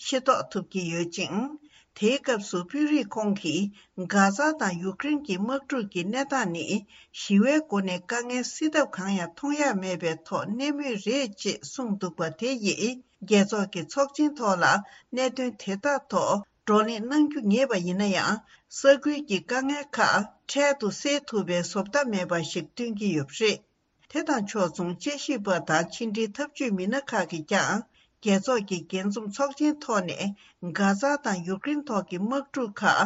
ཤེས་རྟོགས་ཐུབ་ཀྱི་ཡོད་ཅིང་། དེའི་སྐབས་སུ་དཔོན་རིགས་ཁོང་གིས་གྷ་ཛ་དང་ཡུཀ་རེན་གྱི་དམག་འཁྲུག་གི་གནས་སྟངས་ནི་ཞི་བའི་སྒོ་ནས་དཀའ་ངལ་སེལ་ཐབས་གང་ཡང་མཐོང་ཡ་མེད་པའི་ཐོག་གནས་མུས་རེད་ཅེས་གསུངས་འདུག་པ་དེ་ཡིས་རྒྱལ་ཚོགས་ཀྱི་ཚོགས་ཆེན་ཐོག་ལ་གནད་དོན་དེ་དག་ཐོག་བགྲོ་གླེང་གནང་རྒྱུ་ངེས་པ་ཡིན་ན་ཡང་། ས་ཁུལ་གྱི་དཀའ་ངལ་ཁག་འཕྲལ་དུ་སེལ་ཐུབ་པའི་བཟོ་ལྟ་མེད་པ་ཞིག་སྟོན་གྱི་ཡོད་པ་རེད། དེ་དང་ཕྱོགས་མཚུངས་དཔྱད་ཞིབ་པ་དང་ཕྱི་འབྲེལ་འཐབ་ཇུས་མི་སྣ་ཁག་གིས་ཀྱང་རྒྱལ་ཚོགས་ཀྱི་རྒྱས་འཛོམས་ཚོགས་ཆེན་ཐོག་ནས་གྷ་ཛ་དང་ཡུཀ་རེན་ཐོག་གི་དམག་འཁྲུག་ཁག་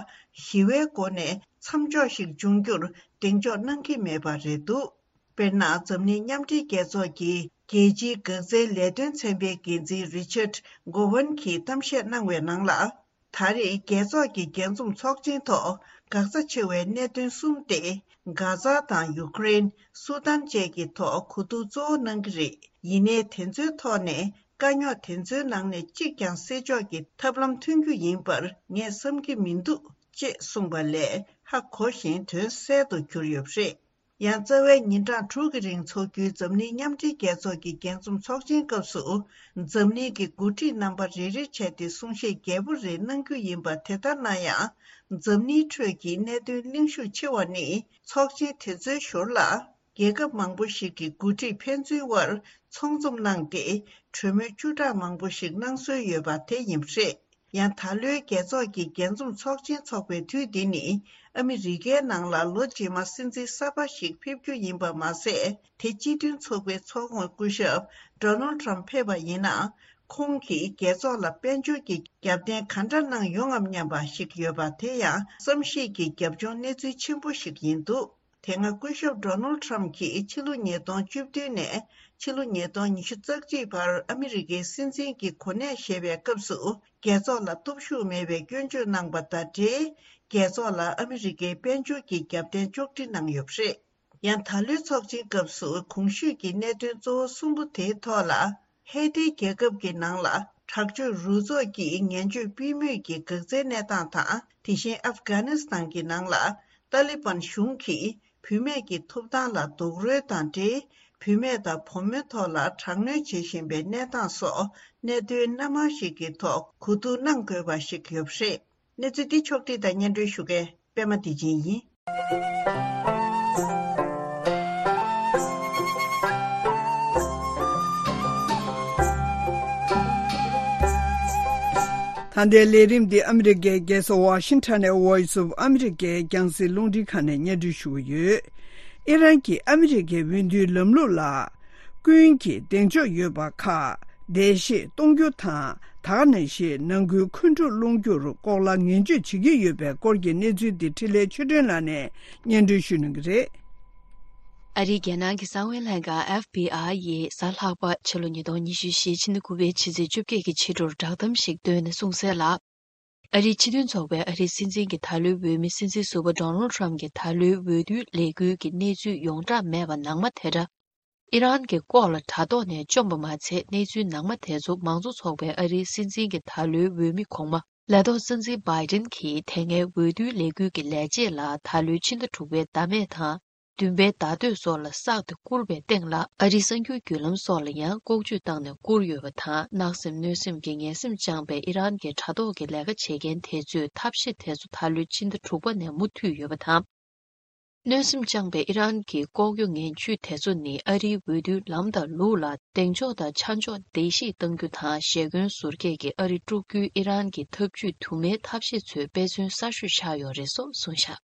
ཞི་བའི་སྒོ་ནས་མཚམས་འཇོག་ཞིག་འབྱུང་རྒྱུར་གདེང་འཇོག་གནང་གི་མེད་པ་རེད་འདུག་དཔེར་ན། འཛམ་གླིང་མཉམ་འབྲེལ་རྒྱལ་ཚོགས་ཀྱི་རྒྱལ་སྤྱིའི་འགག་རྩའི་ལས་དོན་ཚན་པའི་འགན་འཛིན་རི་ཆར་ཌ་གོ་ཝན་གྱིས་གཏམ་བཤད་གནང་བའི་ནང་ལ། ད་རེས་རྒྱལ་ཚོགས་ཀྱི་རྒྱས་འཛོམས་ཚོགས་ཆེན་ཐོག་འགག་རྩ་ཆེ་བའི་གནད་དོན་གསུམ་སྟེ། གྷ་ཛ་དང་ཡུཀ་རེན། སུ་དཱན་བཅས་ཀྱི་ཐོག་གོ་བསྡུར་གཙོ་བོ་གནང་གི་རེད། ཡིན་ནའི་དེ་ཚོའི་ཐོག་ནས་དཀའ་རྙོག་དེ་ཚོའི་ནང་ནས་གཅིག་ཀྱང་སེལ་ཕྱོགས་ཀྱི་ཐབས་ལམ་ཐོན་རྒྱུ་ཡིན་པར་ངས་བསམ་གྱི་མི་འདུག་ཅེས་གསུངས་པ་ལས་ཧ་གོ་ཞིང་དོན་གསལ་དུ་གྱུར་ཡོད་པ་རེད། ཡང་རྩ་བའི་ཉིན་གྲངས་དྲུག་གི་རིང་འཚོགས་རྒྱུའི་འཛམ་གླིང་མཉམ་འབྲེལ་རྒྱལ་ཚོགས་ཀྱི་རྒྱས་འཛོམས་ཚོགས་ཆེན་སྐབས་སུ། འཛམ་གླིང་གི་འགོ་ཁྲིད་རྣམ་པ་རེ་རེ་བྱས་ཏེ་གསུང་བཤད་རྒྱས་པོ་རེ་གནང་རྒྱུ་ཡིན་པ་དེ་ལྟར་ན་ཡང་། འཛམ་གླིང་ཁྲོད་ཀྱི་གནད་དོན་གླེང་ཤུགས་ཆེ་བ་ནི། ཚོགས་ཆེན་དེ་ཚོའི་ཞོར་ལ། རྒྱལ་ཁབ་མང་པོ་ཞིག་གི་འགོ་ཁྲིད་ཕན་ཚུན་དབར་ཚོགས་འཛོམས་གནང་སྟེ། གྲོས་མོལ་བཅུ་ཕྲག་མང་པོ་ཞིག་གནང་སྲོལ་ཡོད་པ་དེ་ཡིན་པ་རེད། ཡང་ད་ལོའི་རྒྱལ་ཚོགས་ཀྱི་རྒྱས་འཛོམས་ཚོགས་ཆེན་འཚོགས་པའི་དུས་འདི་ནི། ཨ་མི་རི་ཀའི་ནང་ལ་ལོ་རྗེས་མ་སྲིད་འཛིན་གསར་པ་ཞིག་ཕེབས་རྒྱུ་ཡིན་པ་མ་ཟད། དེ་སྤྱི་མཐུན་ཚོགས་པའི་ཚོགས་དཔོན་སྐུ་ཞབས་ཌོ་ནལ་ཊམ་ཕེབས་པ་ཡིན་ན། ཁོང་གིས་རྒྱལ་ཚོགས་ལ་དཔལ་འབྱོར་གྱི་རྒྱབ་རྟེན་ག་འདྲ་གནང་ཡོང་ངམ་སྙམ་པ་ཞིག་ཡོད་པ་དེ་ཡང་བསམ་ཤེས་ཀྱི་རྒྱབ་ལྗོངས་གནས་ཚུལ་ཆེན་པོ་ཞིག་ཡིན་འདུག་དེ་སྔ་སྐུ་ཞབས་ཌོ་ནལ་ཊམ་གྱིས་ཕྱི་ལོ་ཉིས་སྟོང་བཅུ་བདུན་ནས་ཕྱི་ལོ་ཉིས་སྟོང་ཉི་ཤུ་རྩ་གཅིག་བར་ཨ་མི་རི་ཀའི་སྲིད་འཛིན་གྱི་གོ་གནས་བཞེས་པའི་སྐབས་སུ། རྒྱལ་ཚོགས་ལ་སྟོབས་ཤུགས་མེད་པའི་སྐྱོན་བརྗོད་གནང་པ་དང་འབྲེལ། རྒྱལ་ཚོགས་ལ་ཨ་མི་རི་ཀའི་དཔལ་འབྱོར་གྱི་རྒྱབ་རྟེན་གཅོག་འཕྲི་གནང་ཡོད་པ་རེད། ཡང་ད་ལོའི་ཚོགས་ཆེན་སྐབས་སུ་གོང་ཞུས་ཀྱི་གནད་དོན་གཙོ་བོ་གསུམ་པོ་དེའི་ཐོག་ལ། ཧེ་ཏི་རྒྱལ་ཁབ་ཀྱི་ནང་ལ་དྲག་སྤྱོད་རུ་ཚོགས་ཀྱིས་ངན་སྤྱོད་སྤེལ་མུས་ཀྱི་འགག་རྩའི་གནས་སྟངས་དང་། དེ་བཞིན་ཨབ་གྷ་ནི་སི་ཐན་གྱི་ནང་ལ་ཏཱ་ལི་བན་གཞུང་གིས་བུད་མེད་ཀྱི་ཐོབ་ཐང་ལ་རྡོག་རོལ་དང་འབྲེལ། བུད་མེད་དང་བུ་མོའི་ཐོག་ལ་དྲག་གནོན་བྱེད་བཞིན་པའི་གནས་སྟངས་སོགས་གནད་དོན་སྣ་མང་ཞིག་གི་ཐོག་གོ་བསྡུར་གནང་དགོས་པ་ཞིག་ཡོད་པ་རེད། གནས་ཚུལ་འདི་ཕྱོགས་བསྒྲིགས་དང་སྙན་སྒྲོན་ཞུ་མཁན་པད་མ་བདེ་ཆེན་ཡིན། ད་ལྟའི་ལས་རིམ་འདི་ཨ་མི་རི་ཀའི་རྒྱལ་ས་ཝ་ཤིང་ཊོན་ནས་Voice of America་རྒྱང་སྲིང་རླུང་འཕྲིན་ཁང་ནས་སྙན་སྒྲོན་ཞུ་གི་ཡོད། ཨི་རན་གྱིས་ཨ་མི་རི་ཀའི་འོས་བསྡུའི་ལམ་ལུགས་ལ། ཀུན་གྱིས་གདེང་འཇོག་ཡོད་པ་ཁག་བརྡལ་བཤིག་གཏོང་རྒྱུ་དང་། ད་ག་ནང་བཞིན་ནང་ཁུལ་འཁོན་འཁྲུག་སློང་རྒྱུར་ལྐོག་ལ་ངན་ཇུས་བྱེད་ཀྱི་ཡོད་པའི་སྐོར་གྱི་གནས་ཚུལ་འདི་འཕྲིན་ལས་ཆོས་སྒྲོན་ལགས་ནས་སྙན་སྒྲོན་ཞུ་གནང་གི་རེད། ཨ་རིའི་རྒྱལ་ནང་གི་གསང་བའི་ལྷན་ཁང་ཨེཕ་བི་ཨའི་ཡིས་གཟའ་ལྷག་པ་ཕྱི་ལོ་ཉིས་སྟོང་ཉི་ཤུ་རྩ་བཞི་ཕྱི་ཟླ་དགུ་པའི་ཕྱི་ཚེས་བཅོ་བརྒྱད་ཀྱི་ཕྱི་དྲོར་བསྒྲགས་གཏམ་ཞིག་བཏོན་ནས་གསུངས་གསལ་ལ། ཨ་རིའི་སྤྱི་མཐུན་ཚོགས་པའི་ཨ་རིའི་སྲིད་འཛིན་གྱི་ད་ལོའི་འོས་མི་སྲིད་འཛིན་ཟུར་པ་ཌོ་ནལ་ཊམ་གྱི་ད་ལོའི་འོས་བསྡུའི་ལས་འགུལ་གྱི་གནས་ཚུལ་ཡོངས་གྲགས་མེད་པ་ནང་མ་དེ་འདྲ། ཨི་རན་གྱི་ལྐོག་ལ་དྲ་ཐོག་ནས་བཅོམ་པ་མ་ཚད། གནས་ཚུལ་ནང་མ་དེ་ཚོ་མང་གཙོ་ཚོགས་པའི་ཨ་རིའི་སྲིད་འཛིན་གྱི་ད་ལོའི་འོས་མི་གོང་མ་ལས་ཐོག་སྲིད་འཛིན་བྷའི་ཌེན་གྱིས་དེ་སྔའི་འོས་བསྡུའི་ལས་འགུལ་གྱི་ལས་བྱེད་ལ་ད་ལོའི་ཕྱི་ཟླ་དྲུག་པའི་ཟླ་སྨད་དང་། བདུན་པའི་ཟླ་སྟོད་སོགས་ལ་བསགས་ཏེ་བསྐུར་བའི་སྟེང་ལ། ཨ་རིའི་གསར་འགྱུར་བརྒྱུད་ལམ་སོགས་ལ་ཡང་ལྐོག་ཇུས་བཏང་ནས་བསྐུར་ཡོད་པ་དང་། བརྣག་སེམས་གནོད་སེམས་ཀྱི་ངན་སེམས་བཅངས་པའི་ཨི་རན་གྱི་དྲ་ཐོག་གི་ལས་ཀ་བྱེད་མཁན་དེ་ཚོས་ཐབས་ཤེས་དེ་ཚོ་ད་ལོའི་ཕྱི་ཟླ་དྲུག་པ་ནས་མུ་མཐུད་ཡོད་པ་དང་། གནོད་སེམས་བཅངས་པའི་ཨི་རན་གྱི་ལྐོག་གཡོ་ངན་ཇུས་དེ་ཚོ་ནི་ཨ་རིའི་འོས་བསྡུའི་ལམ་དང་ལུགས་ལ་གདེང་འཇོག་དང་ཆ་འཇོག་བརྡལ་བཤིག་གཏང་རྒྱུ་དང་། ཞེ་འཁོན་ཟུར་བཀལ་གྱིས་ཨ་རི་དཀྲུག་རྒྱུའི་ཨི་རན་གྱི་ཐབས་ཇུས་དུ་མའི་ཐབས་ཤེས་ཚོའི་དཔེ་མཚོན་གསར་ཤོས་ཆགས་ཡོད་རེད་སོགས་གསུངས་བཞག་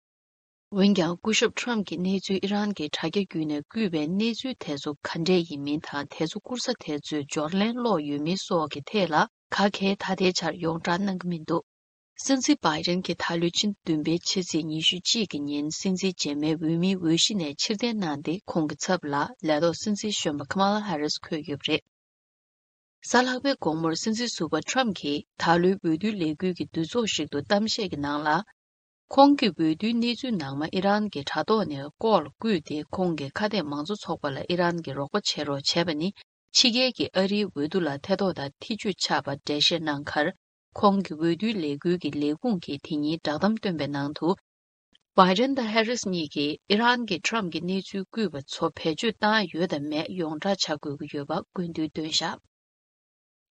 འོན་ཀྱང་། སྐུ་ཞབས་ཊམ་གྱིས་གནས་ཚུལ་ཨི་རན་གྱི་དྲ་རྒྱ་བརྒྱུད་ནས་བསྐུས་པའི་གནས་ཚུལ་དེ་ཚོ་ག་འདྲས་ཡིན་མིན་དང་། དེ་ཚོ་བསྐུར་ས་དེ་ཚོས་འབྱོར་ལན་སློག་ཡོད་མིན་སོགས་ཀྱི་ཐད་ལ་ག་གེ་ད་ལྟའི་ཆར་ཡོངས་བསྒྲགས་གནང་གི་མི་འདུག་སྲིད་འཛིན་བྷའི་ཌེན་གྱིས་ད་ལོའི་ཕྱི་ཟླ་བདུན་པའི་ཕྱི་ཚེས་ཉི་ཤུ་གཅིག་གི་ཉིན་སྲིད་འཛིན་རྗེས་མའི་འོས་མིའི་འོས་གཞི་ནས་ཕྱིར་འཐེན་གནང་སྟེ། ཁོང་གི་ཚབ་ལ་ལས་ཐོག་སྲིད་འཛིན་གཞོན་པ་ཁ་མ་ལ་ཧ་རིས་འཁོད་ཡོད་པ་རེད། གཟའ་ལྷག་པའི་དགོང་མོར་སྲིད་འཛིན་ཟུར་པ་ཊམ་གྱིས་ད་ལོའི་འོས་བསྡུའི་ལས་འགུལ་གྱི་འདུ་ཚོགས་ཤིག་ཏུ་གཏམ་བཤད་ཀྱི་ནང་ལ། ཁོང་གིས་འོས་བསྡུའི་གནས་ཚུལ་ནང་མ་ཨི་རན་གྱི་དྲ་ཐོག་ནས་ལྐོག་ལ་བསྐུས་ཏེ། ཁོང་གི་ཁ་གཏད་མང་གཙོ་ཚོགས་པ་ལ་ཨི་རན་གྱིས་རོགས་པ་བྱེད་རོགས་བྱས་པ་ནི། ཕྱི་རྒྱལ་གྱི་ཨ་རིའི་འོས་བསྡུ་ལ་ཐེ་གཏོགས་དང་ཐེ་བྱུས་ཆགས་པར་འགྲེལ་བཤད་གནང་ཁར། ཁོང་གི་འོས་བསྡུའི་ལས་འགུལ་གྱི་ལས་ཁུངས་ཀྱིས་དེ་ཉིན་བསྒྲགས་གཏམ་བཏོན་པའི་ནང་དུ། བྷའི་ཌེན་དང་ཧེ་རིས་གཉིས་ཀྱིས་ཨི་རན་གྱིས་ཁྲམ་གྱི་གནས་ཚུལ་བརྐུས་པ་ཚོ་བེད་སྤྱོད་བཏང་ཡོད་དམ་མེད་ཡོངས་བསྒྲགས་བྱ་དགོས་ཀྱི་ཡོད་པ་སྐུལ་འདེད་བཏོན་བཞག་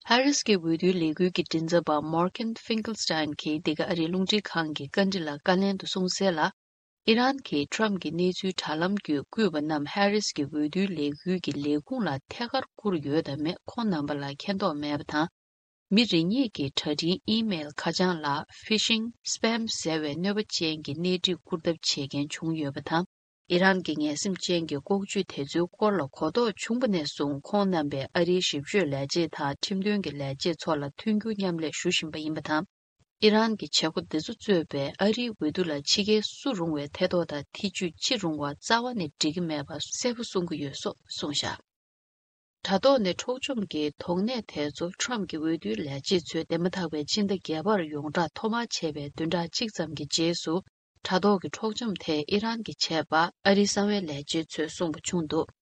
ཧེ་རིས་ཀྱི་འོས་བསྡུའི་ལས་འགུལ་གྱི་མགྲིན་ཚབ་པ་མོར་ཁན་ཕིང་ཀལ་སྟན་གྱིས་འདི་ག་ཨ་རིའི་རླུང་འཕྲིན་ཁང་གི་བཀའ་འདྲི་ལ་བཀའ་ལན་དུ་གསུངས་གསལ་ལ། ཨི་རན་གྱིས་ཁྲམ་གྱི་གནས་ཚུལ་དྲ་ལམ་བརྒྱུད་བརྐུས་པ་རྣམས་ཧེ་རིས་ཀྱི་འོས་བསྡུའི་ལས་འགུལ་གྱི་ལས་ཁུངས་ལ་ཐད་ཀར་བསྐུར་ཡོད་དམ་མེད་ཁོང་རྣམ་པ་ལ་མཁྱེན་རྟོགས་མེད་པ་དང་། མི་རེ་གཉིས་ཀྱིས་དྲ་འཕྲིན་ཨི་མེལ་ཁ་བྱང་ལ་ཕི་ཤིང་སི་པེམ་ཟེར་བའི་གནོད་པ་ཅན་གྱི་གནས་འདྲི་བསྐུར་ཐབས་བྱེད་མཁན་བྱུང་ཡོད་པ་དང་། ཨི་རན་གྱི་ངན་སེམས་ཅན་གྱི་ལྐོག་ཇུས་དེ་ཚོའི་སྐོར་ལ་གོ་རྟོགས་བྱུང་བ་ནས་བཟུང་ཁོང་རྣམ་པས་ཨ་རིའི་ཞིབ་དཔྱོད་ལས་བྱེད་དང་ཁྲིམས་དོན་གྱི་ལས་བྱེད་ཚོ་ལ་མཐུན་འགྱུར་མཉམ་ལས་ཞུ་བཞིན་པ་ཡིན་པ་དང་། ཨི་རན་གྱི་བྱེད་སྒོ་འདི་ཚོ་གཙོས་པའི་ཨ་རིའི་འོས་བསྡུ་ལ་ཕྱི་རྒྱལ་སུ་རུང་བའི་ཐེ་གཏོགས་དང་ཐེ་བྱུས་ཅི་རུང་བ་རྩ་བ་ནས་འགྲིག་གི་མེད་པ་གསལ་པོ་གསུང་གི་ཡོད་སོགས་གསུངས་བཞག་དྲ་ཐོག་ནས་འཕྲོག་བཅོམ་གྱི་དོགས་གནད་དེ་ཚོ་ཁྲམ་གྱི་འོས་བསྡུའི་ལས་བྱེད་ཚོས་འདས་མ་ཐག་པའི་ཕྱི་ཟླ་བརྒྱད་པར་ཡོངས་བསྒྲགས་ཐོག་མར་བྱས་པའི་བདུན་ཕྲག་གཅིག་ཙམ་གྱི་རྗེས་སུ། དྲ་ཐོག་གི་འཕྲོག་བཅོམ་དེ་ཨི་རན་གྱིས་བྱས་པ་ཨ་རིའི་གསང་བའི་ལས་བྱེད་ཚོས་གསུངས་པ་བྱུང་འདུག་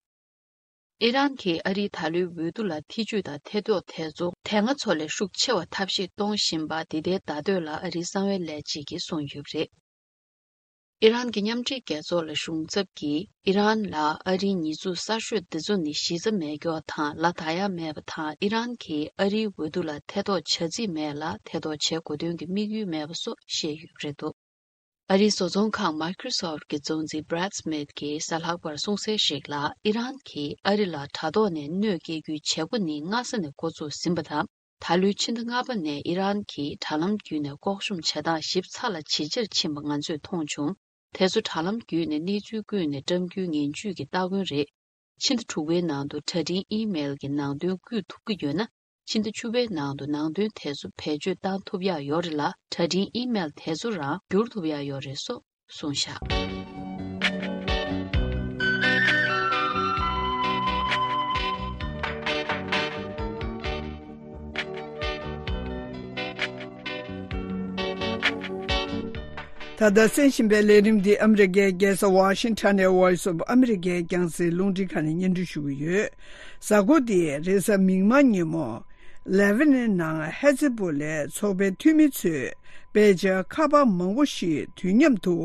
ཨི་རན་གྱིས་ཨ་རིའི་ད་ལོའི་འོས་བསྡུ་ལ་ཐེ་བྱུས་དང་ཐེ་གཏོགས་དེ་ཚོ་དེ་སྔ་ཚོ་ལས་ཤུགས་ཆེ་བ་ཐབས་ཤེས་གཏོང་བཞིན་པ་འདི་ལྟའི་བརྡ་འདོད་ལ་ཨ་རིའི་གསང་བའི་ལས་བྱེད་ཀྱིས་གསུངས་ཡོད་པ་རེད། ཨི་རན་གྱི་མཉམ་འབྲེལ་རྒྱལ་ཚོགས་ལ་གཞུང་ཚབ་ཀྱིས་ཨི་རན་ལ་ཨ་རིའི་ཉེས་འཛུགས་གསར་ཤོས་འདི་ཚོ་ནི་གཞི་རྩ་མེད་སྐྱོར་དང་ལ་ད་ཡ་མེད་པ་དང་ཨི་རན་གྱིས་ཨ་རིའི་འོས་བསྡུ་ལ་ཐེ་གཏོགས་བྱ་རྩིས་མེད་ལ་ཐེ་གཏོགས་བྱེད་དགོས་དོན་གྱི་དམིགས་ཡུལ་མེད་པ་སོགས་བཤད་ཡོད་པ་རེད་འདུག་ཨ་རིའི་བཟོ་ཚོང་ཁང་Microsoft་གྱི་གཙོ་འཛིན་Brad Smith་གྱིས་གཟའ་ལྷག་པར་གསུངས་གསལ་ཞིག་ལ་ཨི་རན་གྱིས་ཨ་རི་ལ་དྲ་ཐོག་ནས་གནོད་སྐྱེལ་རྒྱུའི་བྱེད་སྒོ་ནི་སྔ་ས་ནས་འགོ་ཚུགས་ཟིན་པ་དང་། ད་ལོའི་ཕྱི་ཟླ་ལྔ་པ་ནས་ཨི་རན་གྱིས་དྲ་ལམ་བརྒྱུད་ནས་ལྐོག་ཤུམ་བྱེད་སྟངས་ཞིབ་ཚགས་ལ་ཇེ་ཆེར་ཕྱིན་པ་ང་ཚོས་མཐོང་བྱུང་། དེ་ཚོ་དྲ་ལམ་བརྒྱུད་ནས་གནས་ཚུལ་བརྐུས་ནས་བཀྲམ་རྒྱུའི་ངན་ཇུས་ཀྱི་སྟ་གོན་རེད། ཕྱི་ཟླ་དྲུག་པའི་ནང་དུ་དྲ་འཕྲིན་ཨི་མེལ་གྱི་ནང་དོན་བརྐུས་ཐུབ་ཀྱི་ཡོད་ན། ཕྱི་ཟླ་བཅུ་པའི་ནང་དུ་ནང་དོན་དེ་ཚོ་བེད་སྤྱོད་བཏང་ཐུབ་ཡག་ཡོད་རེད་ལ། དྲ་འཕྲིན་ཨི་མེལ་དེ་ཚོ་རང་བསྒྱུར་ཐུབ་ཡག་ཡོད་རེད་སོགས་གསུངས་བཞག་ད་ལྟ་གསན་བཞིན་པའི་ལས་རིམ་འདི་ཨ་མི་རི་ཀའི་རྒྱལ་ས་ཝ་ཤིང་ཊོན་ནས་Voice of America་རྒྱང་སྲིང་རླུང་འཕྲིན་ཁང་ནས་སྙན་སྒྲོན་ཞུ་གི་ཡོད། གཟའ་འཁོར་འདིའི་རེས་གཟའ་མིག་དམར་ཉིན་མོ། ལེ་བྷ་ནན་ནང་ཧེ་ཛི་བྷོ་ལའི་ཚོགས་པའི་འཐུས་མི་ཚོས་དཔེ་ཆ་ཁ་པར་མང་པོ་ཞིག་དུས་མཉམ་དུ་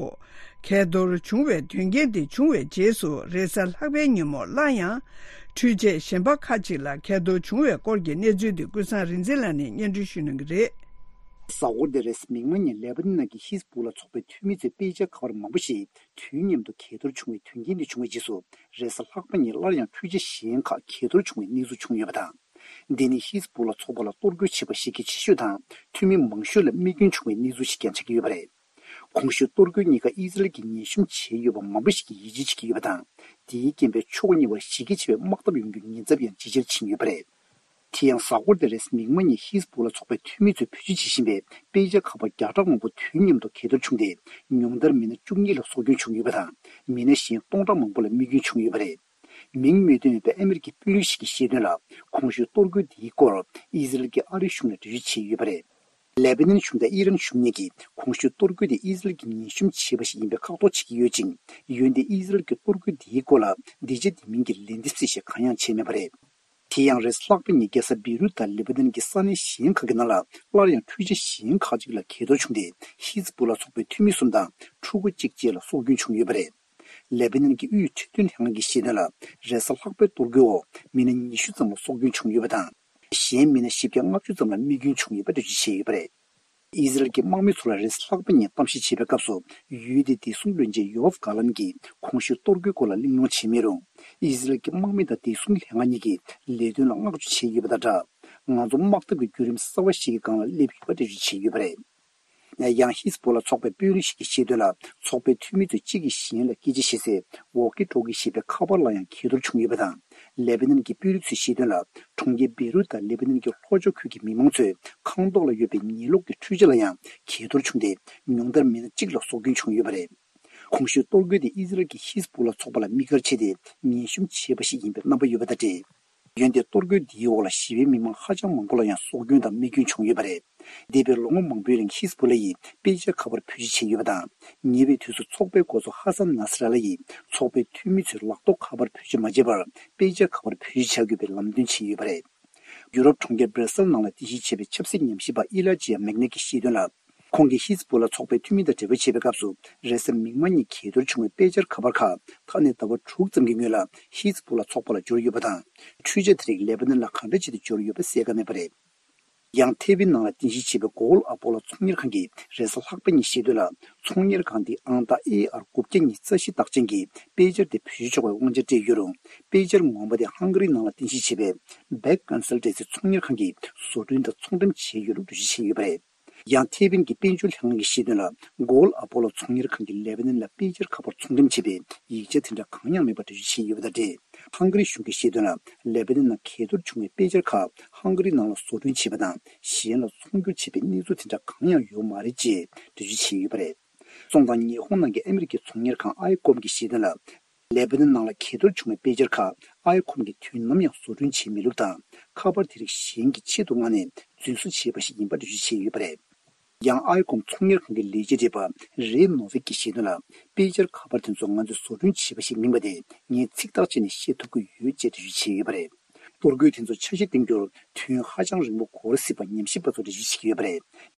གས་གཏོར་བྱུང་བའི་དོན་རྐྱེན་དེ་བྱུང་བའི་རྗེས་སུ་རེས་གཟའ་ལྷག་པའི་ཉིན་མོ་སླར་ཡང་འཕྲུལ་ཆས་གཞན་པ་ཁག་ཅིག་ལ་གས་གཏོར་བྱུང་བའི་སྐོར་གྱི་གནས་ཚུལ་དེ་ཀུན་བཟང་རིག་འཛིན་ལགས་ནས་སྙན་སྒྲོན་ཞུ་གནང་གི་རེད། གཟའ་འཁོར་འདིའི་རེས་གཟའ་མིག་དམར་ཉིན་ལེ་བྷ་ནན་ནང་གི་ཧི་ཛི་བྷོ་ལ་ཚོགས་པའི་འཐུས་མི་ཚོའི་དཔེ་ཆ་ཁ་པར་མང་པོ་ཞིག་དུས་མཉམ་དུ་གས་གཏོར་བྱུང་བའི་དོན་རྐྱེན་དེ་བྱུང་བའི་རྗེས་སུ་རེས་གཟའ་ལྷག་པ་ཉིན་སླར་ཡང་འཕྲུལ་ཆས་གཞན་ཁག་གས་གཏོར་བྱུང་བའི་གནས་ཚུལ་བྱུང་ཡོད་པ་དང་། འདི་ནི་ཧི་ཛི་བྷོ་ལ་ཚོགས་པ་ལ་གཏོར་རྒོལ་བྱེད་པ་གཞི་རྒྱ་ཆེ་ཤོས་དང་འཐུས་མི་མང་ཤོས་ལ་རྨས་སྐྱོན་བྱུང་བའི་གནས་ཚུལ་ཞིག་ཀྱང་ཆགས་ཀྱི་ཡོད་པ་རེད། གོང་ཞུས་གཏོར་རྒོལ་གཉིས་ཀ་ཨི་ཟི་རལ་གྱིས་ཉེན་གཤོམ་བྱས་ཡོད་པ་མང་པོ་ཞིག་གིས་ཡིད་ཆེས་བྱེད་ཀྱི་ཡོད་པ་དང་། དེའི་རྐྱེན་པས་ཕྱོགས་གཉིས་བར་གཞི་རྒྱ་ཆེ་བའི་དམག་འཐབ་ཡོང་རྒྱུའི་ཉེན་ཚབས་ཡང་ཇེ་ཆེར་ཕྱིན་ཡོད་པ་རེད། དེ་ཡང་གཟའ་འཁོར་འདིར་རེས་མིག་དམར་ཉིན་ཧི་ཛི་བྷོ་ལ་ཚོགས་པའི་འཐུས་མི་ཚོས་བེད་སྤྱོད་བྱེད་བཞིན་པའི་དཔེ་ཆ་ཁ་པར་བརྒྱ་ཕྲག་མང་པོ་དུས་མཉམ་དུ་གས་གཏོར་བྱུང་སྟེ། ཉུང་མཐར་མི་སྣ་བཅུ་གཉིས་ལ་སྲོག་སྐྱོན་བྱུང་ཡོད་པ་དང་། མི་སྣ་གཞན་སྟོང་ཕྲག་མང་པོ་ལ་རྨས་སྐྱོན་བྱུང་ཡོད་པ་རེད། མིང་མི་བཏོན་པའི་ཨ་མི་རི་ཀའི་དཔོན་རིགས་ཤིག་གིས་བཤད་དོན་ལ། གོང་ཞུས་གཏོར་རྒོལ་འདིའི་སྐོར་ཨི་ཟི་རལ་གྱིས་ཨ་རིའི་གཞུང་ལ་འགྲེལ་བརྗོད་བྱས་ཡོད་པ་རེད། ལེ་བྷ་ནན་གཞུང་དང་ཨི་རན་གཞུང་གཉིས་ཀྱིས་གོང་ཞུས་གཏོར་རྒོལ་དེ་ཨི་ཟི་རལ་གྱིས་ཉེན་གཤོམ་བྱས་པ་ཞིག་ཡིན་པའི་ཁག་ཐོག་བྱེད་ཀྱི་ཡོད་ཅིང་། འོན་ཏེ་ཨི་ཟི་རལ་གྱིས་གཏོར་རྒོལ་འདིའི་སྐོར་ལ་འདི་བྱས་འདི་མིན་གྱི་ལན་འདེབས་གསལ་བཤད་གང་ཡང་བྱས་མེད་པ་རེད། དེ་ཡང་རེས་ལྷག་པ་ཉིན་རྒྱལ་ས་བེ་རུད་དང་ལེ་བྷ་ནན་གྱི་ས་གནས་གཞན་ཁག་གི་ནང་ལ་སླར་ཡང་འཕྲུལ་ཆས་གཞན་ཁག་ཅིག་ལ་གས་གཏོར་བྱུང་སྟེ། ཧི་ཛི་བྷོ་ལ་ཚོགས་པའི་འཐུས་མི་གསུམ་དང་ཕྲུ་གུ་གཅིག་བཅས་ལ་སྲོག་སྐྱོན་བྱུང་ཡོད་པ་རེད། ལེ་བྷ་ནན་གྱི་དབུས་འཕྲོད་བསྟེན་ལྷན་ཁང་གིས་བཤད་དོན་ལ། རེས་གཟའ་ལྷག་པའི་གཏོར་རྒོལ་འོག་མི་སྣ་ཉི་ཤུ་ཙམ་ལ་སྲོག་སྐྱོན་བྱུང་ཡོད་པ་དང་། གཞན་མི་སྣ་བཞི་བརྒྱ་ལྔ་བཅུ་ཙམ་ལ་རྨས་སྐྱོན་བྱུང་ཡོད་པ་འགྲེལ་བརྗོད་བྱས་ཡོད་པ་རེད། ཨི་ཟི་རལ་གྱི་དམག་མི་ཚོ་ལ་རེས་གཟའ་ལྷག་པ་ཉིན་གཏམ་བཤད་བྱེད་པའི་སྐབས་སུ། ཡུལ་དེའི་བདེ་སྲུང་བློན་ཆེན་ཡོ་ཨབ་གྷ་ལན་གྱིས་གོང་ཞུས་གཏོར་རྒོལ་སྐོར་ལ་གླེང་སློང་བྱས་མེད་རུང་། ཨི་ཟི་རལ་གྱི་དམག་མི་དང་བདེ་སྲུང་ལྷན་ཁང་གཉིས་ཀྱིས་ལས་དོན་ལ་བསྔགས་བརྗོད་བྱས་ཡོད་པ་དང་སྦྲགས། ང་ཚོ་དམག་འཐབ་ཀྱི་བརྒྱུད་རིམ་གསར་བ་ཞིག་གི་སྒང་ལ་སླེབས་ཡོད་པ་འགྲེལ་བརྗོད་བྱས་ཡོད་པ་རེད། ཡང་ཧི་ཛི་བྷོ་ལ་ཚོགས་པའི་དཔོན་རིགས་ཤིག་གིས་བཤད་དོན་ལ། ཚོགས་པའི་འཐུས་མི་ཚོས་གཅིག་གིས་གཞན་ལ་སྐད་ཆ་བཤད་སའི་ཝོག་ཀི་ཊོག་ཀི་ཞེས་པའི་ཁ་པར་ལ་ཡང་གས་གཏོར་བྱུང་ཡོད་པ་དང་། ལེ་བྷ་ནན་གྱི་དཔོན་རིགས་ཚོས་བཤད་དོན་ལ། གྲོང་ཁྱེར་བེ་རུད་དང་ལེ་བྷ་ནན་གྱི་ལྷོ་ཕྱོགས་ཁུལ་གྱི་མི་མང་ཚོའི་ཁང་ཐོག་ལ་ཡོད་པའི་ཉལ་གློག་གི་འཕྲུལ་ཆས་ལ་ཡང་གས་གཏོར་བྱུང་སྟེ། ཉུང་མཐར་མི་སྣ་གཅིག་ལ་སྲོག་སྐྱོན་བྱུང་ཡོད་པ་རེད། གོང་ཞུས་གཏོར་རྒོལ་དེ་ཨི་ཟི་རལ་གྱིས་ཧི་ཛི་བྷོ་ལ་ཚོགས་པ་ལ་དམིགས་བཀར་བྱས་ཏེ་ཉེན་གཤོམ་བྱས་པ་ཞིག་ཡིན་པའི་རྣམ་པ་ཡོད་པ་དང་འབྲེལ། འོན་ཏེ་གཏོར་རྒོལ་འདིའི་འོག་ལ་ཞི་བའི་མི་མང་ཧ་ཅང་མང་པོ་ལ་ཡང་སྲོག་སྐྱོན་དང་རྨས་སྐྱོན་བྱུང་ཡོད་པ་རེད། འདས་པའི་ལོ་ངོ་མང་པོའི་རིང་ཧིས་བུ་ལ་ཡིས་དཔེ་ཆ་ཁ་པར་བེད་སྤྱོད་བྱས་ཡོད་པ་དང་། ཉེ་བའི་དུས་སུ་ཚོགས་པའི་འགོ་གཙོ་ཧ་སན་ནཱ་སི་ར་ལ་ཡིས་ཚོགས་པའི་འཐུས་མི་ཚོས་ལག་ཐོགས་ཁ་པར་བེད་སྤྱོད་མ་བྱས་པར་དཔེ་ཆ་ཁ་པར་བེད་སྤྱོད་བྱ་དགོས་པའི་ལམ་སྟོན་བྱས་ཡོད་པ་རེད། ཡུ་རོབ་གྲོང་ཁྱེར་སྦྲེ་སེལ་ནང་ལ་རྟེན་གཞི་བྱས་པའི་ཆབ་སྲིད་ཉམས་ཞིབ་པ་ཨི་ལ་ཇི་ཡ་མེག་ནེ་གིས་བཤད་དོན་ལ། ཁོང་གིས་ཧིས་བུ་ལ་ཚོགས་པའི་འཐུས་མི་དང་འབྲེལ་བ་བྱེད་པའི་སྐབས་སུ། རེས་གཟའ་མིག་དམར་ཉིན་གས་གཏོར་བྱུང་བའི་དཔེ་ཆར་ཁ་པར་ཁག་ད་ནས་ཟླ་བ་དྲུག་ཙམ་གྱི་སྔོན་ལ་ཧིས་བུ་ལ་ཚོགས་པ་ལ་འབྱོར་ཡོད་པ་དང་། འཕྲུལ་ཆས་དེ་རིགས་ལེ་པ་ནན་ལ་གང་འདྲ་བྱས་ཏེ་འབྱོར་ཡོད་པ་གསལ་ཁ་མེད་པ་རེད། ཡང་ཐེ་ཝན་ནང་ལ་རྟེན་གཞི་བྱས་པའི་གོ་ལ་ཨ་པོ་ལོ་ཚོང་གཉེར་ཁང་གིས་རེས་གཟའ་ལྷག་པ་ཉིན་བཤད་དོན་ལ། ཚོང་གཉེར་ཁང་འདི་ཨང་རྟགས་ཨེ་ཨར་དགུ་བརྒྱ་ཉི་ཤུ་རྩ་བཞི་རྟགས་ཅན་གྱི་དཔེ་ཆར་དེ་བེད་སྤྱོད་ཆོག་པའི་དབང་ཆ་སྤྲད་ཡོད་རུང་། དཔེ་ཆར་ངོ་མ་དེ་ཧང་ག་རི་ནང་ལ་རྟེན་གཞི་བྱས་པའི་བེག་ཀོན་སལ་ཊན་སི་ཚོང་གཉེར་ཁང་གིས་བཟོ་སྐྲུན་དང་ཚོང་འགྲེམས་བྱས་ཡོད་ལུགས་འགྲེལ་བརྗོད་བྱས་ཡོད་པ་རེད། ཡང་ཐེ་ཝན་གྱི་དཔལ་འབྱོར་ལྷན་ཁང་གིས་བཤད་དོན་ལ། གོ་ལ་ཨ་པོ་ལོ་ཚོང་གཉེར་ཁང་གིས་ལེ་པ་ནན་ལ་དཔེ་ཆར་ཁ་པར་ཚོང་འགྲེམས་བྱས་པའི་ཡིག་ཆ་དེ་འདྲ་གང་ཡང་མེད་པ་འགྲེལ་བརྗོད་བྱས་ཡོད་པ་དང་འབྲེལ། ཧང་ག་རི་གཞུང་གིས་བཤད་དོན་ལ། ལེ་པ་ནན་ནང་གས་གཏོར་བྱུང་བའི་དཔེ་ཆར་ཁག་ཧང་ག་རི་ནང་ལ་བཟོ་སྐྲུན་བྱས་པ་དང་གཞན་ལ་ཚོང་སྒྱུར་བྱས་པའི་གནས་ཚུལ་དེ་འདྲ་གང་ཡང་ཡོད་མ་རེད་ཅེས་འགྲེལ་བརྗོད་བྱས་ཡོད་པ་རེད། སོང་ཙང་ཉི་ཧོང་ནང་གི་ཨ་མི་རི་ཀའི་ཚོང་གཉེར་ཁང་ཨའི་ཀོམ་གྱིས་བཤད་དོན་ལ། ལེ་པ་ནན་ནང་ལ་གས་གཏོར་བྱུང་བའི་དཔེ་ཆར་ཁག་ཨའི་ཀོམ་གྱིས་དུས་ནམ་ཡང་བཟོ་སྐྲུན་བྱེད་མི་ལུགས་དང་། ཁ་པར་དེ་རིགས་གཞན་གྱི་ཆེད་དུ་མངགས་ནས་རྫུན་བཟོ་བྱས་པ་ཞིག་ཡིན་པ་འགྲེལ་བརྗོད་བྱས་ཡོད་པ་རེད། ཡང་ཨའི་ཀོམ་ཚོང་གཉེར་ཁང་གི་ལས་བྱེད་རེད་པ། རེ་ནོ་ཝིག་གིས་བཤད་དོན་ལ། དཔེ་ཆར་ཁ་པར་དེ་ཚོ་ང་ཚོས་བཟོ་སྐྲུན་བྱས་པ་ཞིག་མིན་པ་དེ་ངས་ཚིག་ཐག་བཅད་ནས་བཤད་ཐུབ་ཀྱི་ཡོད་ཅེས་འགྲེལ་བརྗོད་བྱས་ཡོད་པ་རེད། གཏོར་རྒོལ་དེ་ཚོ་ཆ་ཤས་འདེམས་རྒྱུར་དུས་ཡུན་ཧ་ཅང་རིང་པོ་འགོར་སྲིད་པ་ཉམས་ཞིབ་པ་ཚོས་འགྲེལ་བརྗོད་བྱེད་ཀྱི་ཡོད་པ་རེད།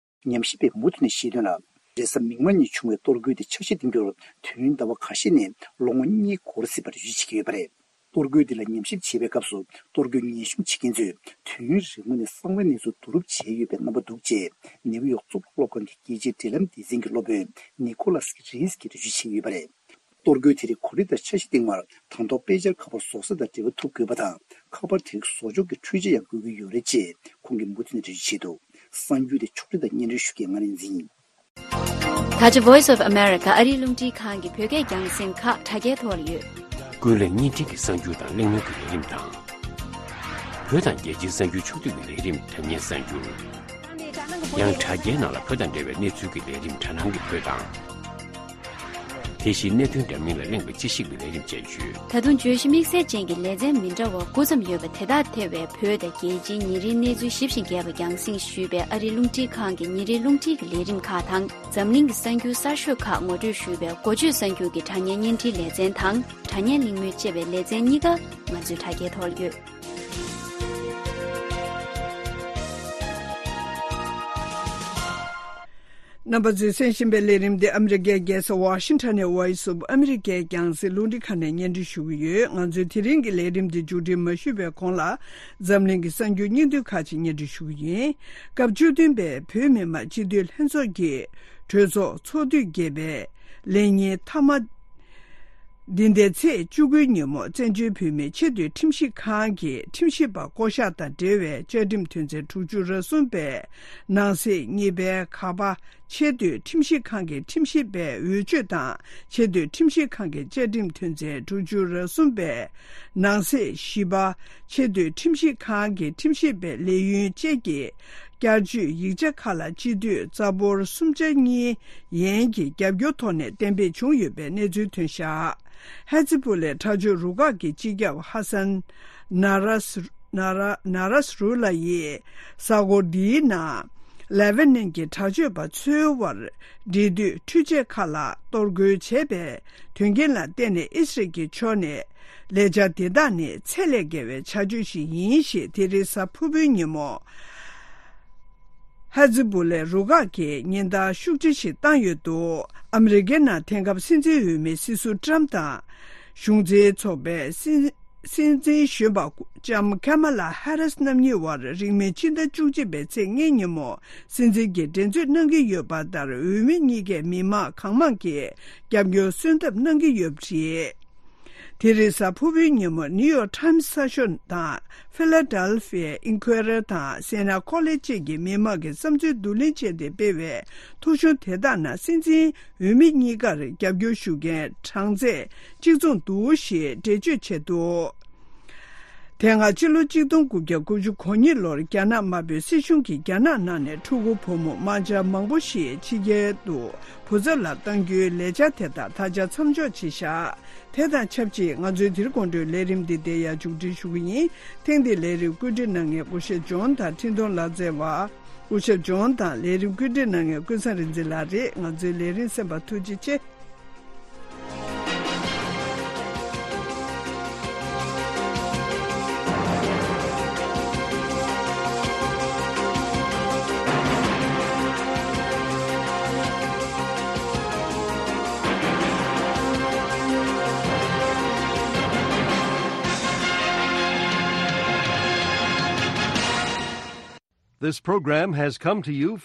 ཉམས་ཞིབ་པས་མུ་མཐུད་ནས་བཤད་དོན་ལ། རེས་གཟའ་མིག་དམར་ཉིན་བྱུང་བའི་གཏོར་རྒོལ་དེ་ཆ་ཤས་འདེམས་རྒྱུར་དུས་ཡུན་ཟླ་བ་ཁ་ཤས་ནས་ལོ་ངོ་གཉིས་འགོར་སྲིད་པ་འགྲེལ་བརྗོད་བྱེད་ཀྱི་ཡོད་པ་རེད། གཏོར་རྒོལ་འདི་ལ་ཉམས་ཞིབ་བྱེད་པའི་སྐབས་སུ་གཏོར་རྒོལ་ཉེན་སྲུང་བྱེད་མཁན་ཚོས་དུས་ཡུན་རིང་པོ་ནས་གསང་བའི་གནས་ཚུལ་བསྡུ་རུབ་བྱས་ཡོད་པའི་རྣམ་པ་འདུག་ཅེས་ནེའུ་ཡོག་གཙུག་ལག་སློབ་ཁང་གི་རྒྱལ་སྤྱིའི་འབྲེལ་ལམ་སྡེ་ཚན་གྱི་སློབ་དཔོན་ནི་ཁོ་ལཱས་རིས་ཀྱིས་འགྲེལ་བརྗོད་བྱས་ཡོད་པ་རེད། གཏོར་རྒོལ་དེ་རིགས་གོ་སྒྲིག་དང་འཆར་གཞི་སྟེང་མར་དང་ཐོག་དཔེ་ཆར་ཁ་པར་བཟོ་ས་དང་འབྲེལ་བ་ཐུབ་དགོས་པ་དང་། ཁ་པར་དེ་རིགས་བཟོ་ཆོག་གི་འཕྲུལ་ཆས་ཡང་དགོས་ཀྱི་ཡོད་རེད་ཅེས་ཁོང་གིས་མུ་མཐུད་ནས་འགྲེལ་བརྗོད་བྱས་འདུག་གསར་འགྱུར་དེ་ཕྱོགས་སྒྲིག་དང་སྙན་སྒྲོན་ཞུ་མཁན་ང་རིག་འཛིན་ཡིན། ད་ཆ་Voice of America ཨ་རིའི་རླུང་འཕྲིན་ཁང་གི་བོད་སྐད་རྒྱང་སྲིང་ཁག་དྲ་རྒྱའི་ཐོག་ལ་ཡོད། ཀུན་གླེང་བརྙན་འཕྲིན་གྱི་གསར་འགྱུར་དང་གླེང་མོལ་གྱི་ལས་རིམ་དང་། བོད་དང་རྒྱལ་སྤྱིའི་གསར་འགྱུར་ཕྱོགས་བསྡུས་ཀྱི་ལས་རིམ་དྲ་བརྙན་གསར་འགྱུར། ཡང་དྲ་རྒྱའི་ནང་ལ་བོད་དང་འབྲེལ་བའི་གནས་ཚུལ་གྱི་ལས་རིམ་དྲ་སྣང་གི་བོད་དང་། དེ་བཞིན་གནད་དོན་འདྲ་མིན་ལ་གླེང་བའི་དཔྱད་ཞིབ་ཀྱི་ལས་རིམ་བཅས་ཡོད། ད་དུང་བརྗོད་གཞི་དམིགས་བསལ་ཅན་གྱི་ལེ་ཚན་མི་འདྲ་བ་དགུ་ཙམ་ཡོད་པ་དེ་དག་ཐེ་བའི་བོད་དང་རྒྱལ་སྤྱིའི་ཉིན་རེའི་གནས་ཚུལ་ཞིབ་ཅིང་རྒྱས་པ་རྒྱང་སྲིང་ཞུས་པའི་ཨ་རིའི་རླུང་འཕྲིན་ཁང་གི་ཉིན་རེའི་རླུང་འཕྲིན་གྱི་ལས་རིམ་ཁག་དང་། འཛམ་གླིང་གི་གསར་འགྱུར་གསར་ཤོས་ཁག་ངོ་སྤྲོད་ཞུས་པའི་འགོ་བརྗོད་གསར་འགྱུར་གྱི་དྲ་བརྙན་བརྙན་འཕྲིན་ལེ་ཚན་དང་། དྲ་བརྙན་གླེང་མོལ་ཅེས་པའི་ལེ་ཚན་གཉིས་ཀ་ང་ཚོའི་དྲ་རྒྱའི་ཐོག་ལ་ཡོད། རྣམ་པ་ཚོས་གསན་བཞིན་པའི་ལས་རིམ་འདི་ཨ་མི་རི་ཀའི་རྒྱལ་ས་ཝ་ཤིང་ཊོན་ནས་Voice of America རྒྱང་སྲིང་རླུང་འཕྲིན་ཁང་ནས་སྙན་སྒྲོན་ཞུ་གི་ཡོད། ང་ཚོའི་དེ་རིང་གི་ལས་རིམ་འདི་མཇུག་སྒྲིལ་མ་ཞུས་པའི་གོང་ལ་འཛམ་གླིང་གི་གསར་འགྱུར་སྙིང་བསྡུས་ཁག་ཅིག་སྙན་སྒྲོན་ཞུ་གི་ཡིན། སྐབས་བཅུ་བདུན་པའི་བོད་མི་མང་སྤྱི་འཐུས་ལྷན་ཚོགས་ཀྱི་གྲོས་ཚོགས་ཚོགས་དུས་བརྒྱད་པའི་ལས་ཉིན་མཐའ་མ། འདི་ཟླའི་ཚེས་བཅུ་དགུའི་ཉིན་མོ་བཙན་བྱོལ་བོད་མིའི་ཆེས་མཐོའི་ཁྲིམས་ཞིབ་ཁང་གི་ཁྲིམས་ཞིབ་པ་བསྐོ་གཞག་དང་འབྲེལ་བའི་བཅའ་ཁྲིམས་དོན་ཚན་དྲུག་ཅུ་རེ་གསུམ་པའི་ནང་གསེས་གཉིས་པའི་ག་པ་ཆེས་མཐོའི་ཁྲིམས་ཞིབ་ཁང་གི་ཁྲིམས་ཞིབ་པའི་འོས་ཆོས་དང་ཆེས་མཐོའི་ཁྲིམས་ཞིབ་ཁང་གི་བཅའ་ཁྲིམས་དོན་ཚན་དྲུག་ཅུ་རེ་གསུམ་པའི་ནང་གསེས་བཞི་པ་ཆེས་མཐོའི་ཁྲིམས་ཞིབ་ཁང་གི་ཁྲིམས་ཞིབ་པའི་ལས་ཡུན་བཅས་ཀྱི་བསྐྱར་བཅོས་ཡིག་ཆ་ཁག་ལ་སྤྱི་འཐུས་རྩ་འབོར་གསུམ་ཆ་གཉིས་ཡན་གྱི་རྒྱབ་སྐྱོར་ཐོག་ནས་གཏན་འབེབས་བྱུང་ཡོད་པའི་གནས་ཚུལ་ཐོན་བཞག་ཧེ་ཛི་བུ་ལའི་དྲག་སྤྱོད་རུ་ཁག་གི་སྤྱི་ཁྱབ་ཧ་སན་ན་ར་སི་ན་ར་ན་ར་སི་རུ་ལ་ཡིས་གཟའ་འཁོར་འདིའི་ནང་ལེ་བྷ་ནན་གྱི་དྲག་སྤྱོད་པ་ཚོའི་དབར་འབྲེལ་མཐུད་འཕྲུལ་ཆས་ཁག་ལ་གཏོར་རྒོལ་བྱས་པའི་དོན་རྐྱེན་ལ་བརྟེན་ནས་ཨི་སི་རལ་གྱི་ཕྱོགས་ནས། ལས་འཆར་དེ་དག་ནི་ཚད་ལས་བརྒལ་བའི་བྱ་སྤྱོད་ཞིག་ཡིན་ཞེས་དེ་རིང་གཟའ་ཕུར་བུའི་ཉིན་མོ། ཧ་ཛི་བུ་ལའི་རུ་ཁག་གིས་ཉེན་བརྡ་ཤུགས་ཆེ་ཞིག་བཏང་ཡོད་འདུག་ཨ་མི་རི་ཀའི་ནང་དེང་སྐབས་སྲིད་འཛིན་འོས་མི་སྲིད་ཟུར་ཏྲམ་དང་། གཞུང་འཛིན་ཚོགས་པའི་སྲིད་སྲིད་འཛིན་གཞོན་པ་ལྕམ་ཁ་མ་ལ་ཧ་རིས་རྣམ་གཉིས་དབར་རིང་མིན་ཕྱི་ཟླ་བཅུ་གཅིག་པའི་ཚེས་ལྔའི་ཉིན་མོ་སྲིད་འཛིན་གྱི་འགྲན་རྩོད་གནང་གི་ཡོད་པ་ལྟར་འོས་མི་གཉིས་ཀས་མི་མང་གང་མང་གིས་རྒྱབ་སྐྱོར་གསོལ་འདེབས་གནང་གི་ཡོད་པ་རེད། དེ་རིང་གཟའ་ཕུར་བུའི་ཉིན་མོ་ནིའུ་ཡོག་ཊའིམ་གསར་ཤོག་དང་ཕི་ལ་ཌེལ་ཕི་ཡ་ཨིན་ཁུའེ་རེ་དང་སེ་ན་ཁོ་ལེ་བཅས་ཀྱི་མི་མང་གི་བསམ་ཚུལ་བསྡུ་ལེན་བྱས་ཏེ་སྤེལ་བའི་ཐོ་གཞུང་དེ་དག་ནང་སྲིད་འཛིན་འོས་མི་གཉིས་ཀར་རྒྱབ་སྐྱོར་ཞུ་མཁན་གྲངས་ཚད་གཅིག་མཚུངས་འདུག་ཞེས་འགྲེལ་བརྗོད་བྱས་འདུག་དེ་སྔ་ཕྱི་ལོ་གཅིག་སྟོང་དགུ་བརྒྱ་དགུ་བཅུ་གོ་གཉིས་ལོར་རྒྱ་ནག་དམར་པོའི་སྲིད་གཞུང་གིས་རྒྱ་ནག་ནང་ནས་ཕྲུ་གུ་བུ་མོ་དམར་འབྱར་མང་པོ་ཞིག་ཕྱི་རྒྱལ་དུ་བུ་ཚ་ལ་གཏང་རྒྱུའི་ལས་འཆར་དེ་དག་ད་ཆ་མཚམས་འཇོག་བྱས་བཞག་དེ་དང་ཆབས་ཅིག་ང་ཚོའི་དེ་རིང་དགོང་དྲོའི་ལས་རིམ་འདི་འདིར་ཡང་མཇུག་སྒྲིལ་ཞུ་གི་ཡིན། ཐེངས་འདིའི་ལས་རིམ་བཀོད་སྒྲིག་གནང་མཁན་སྐུ་ཞབས་ཇོན་དང་འཕྲིན་གཏོང་ལག་རྩལ་བ། སྐུ་ཞབས་ཇོན་དང་ལས་རིམ་བཀོད་སྒྲིག་གནང་མཁན་ཀུན་བཟང་རིག་འཛིན་ལགས་རེད། ང་ཚོའི་ལས་རིམ་གསན་པར་ཐུགས་རྗེ་ཆེ། This program has come to you from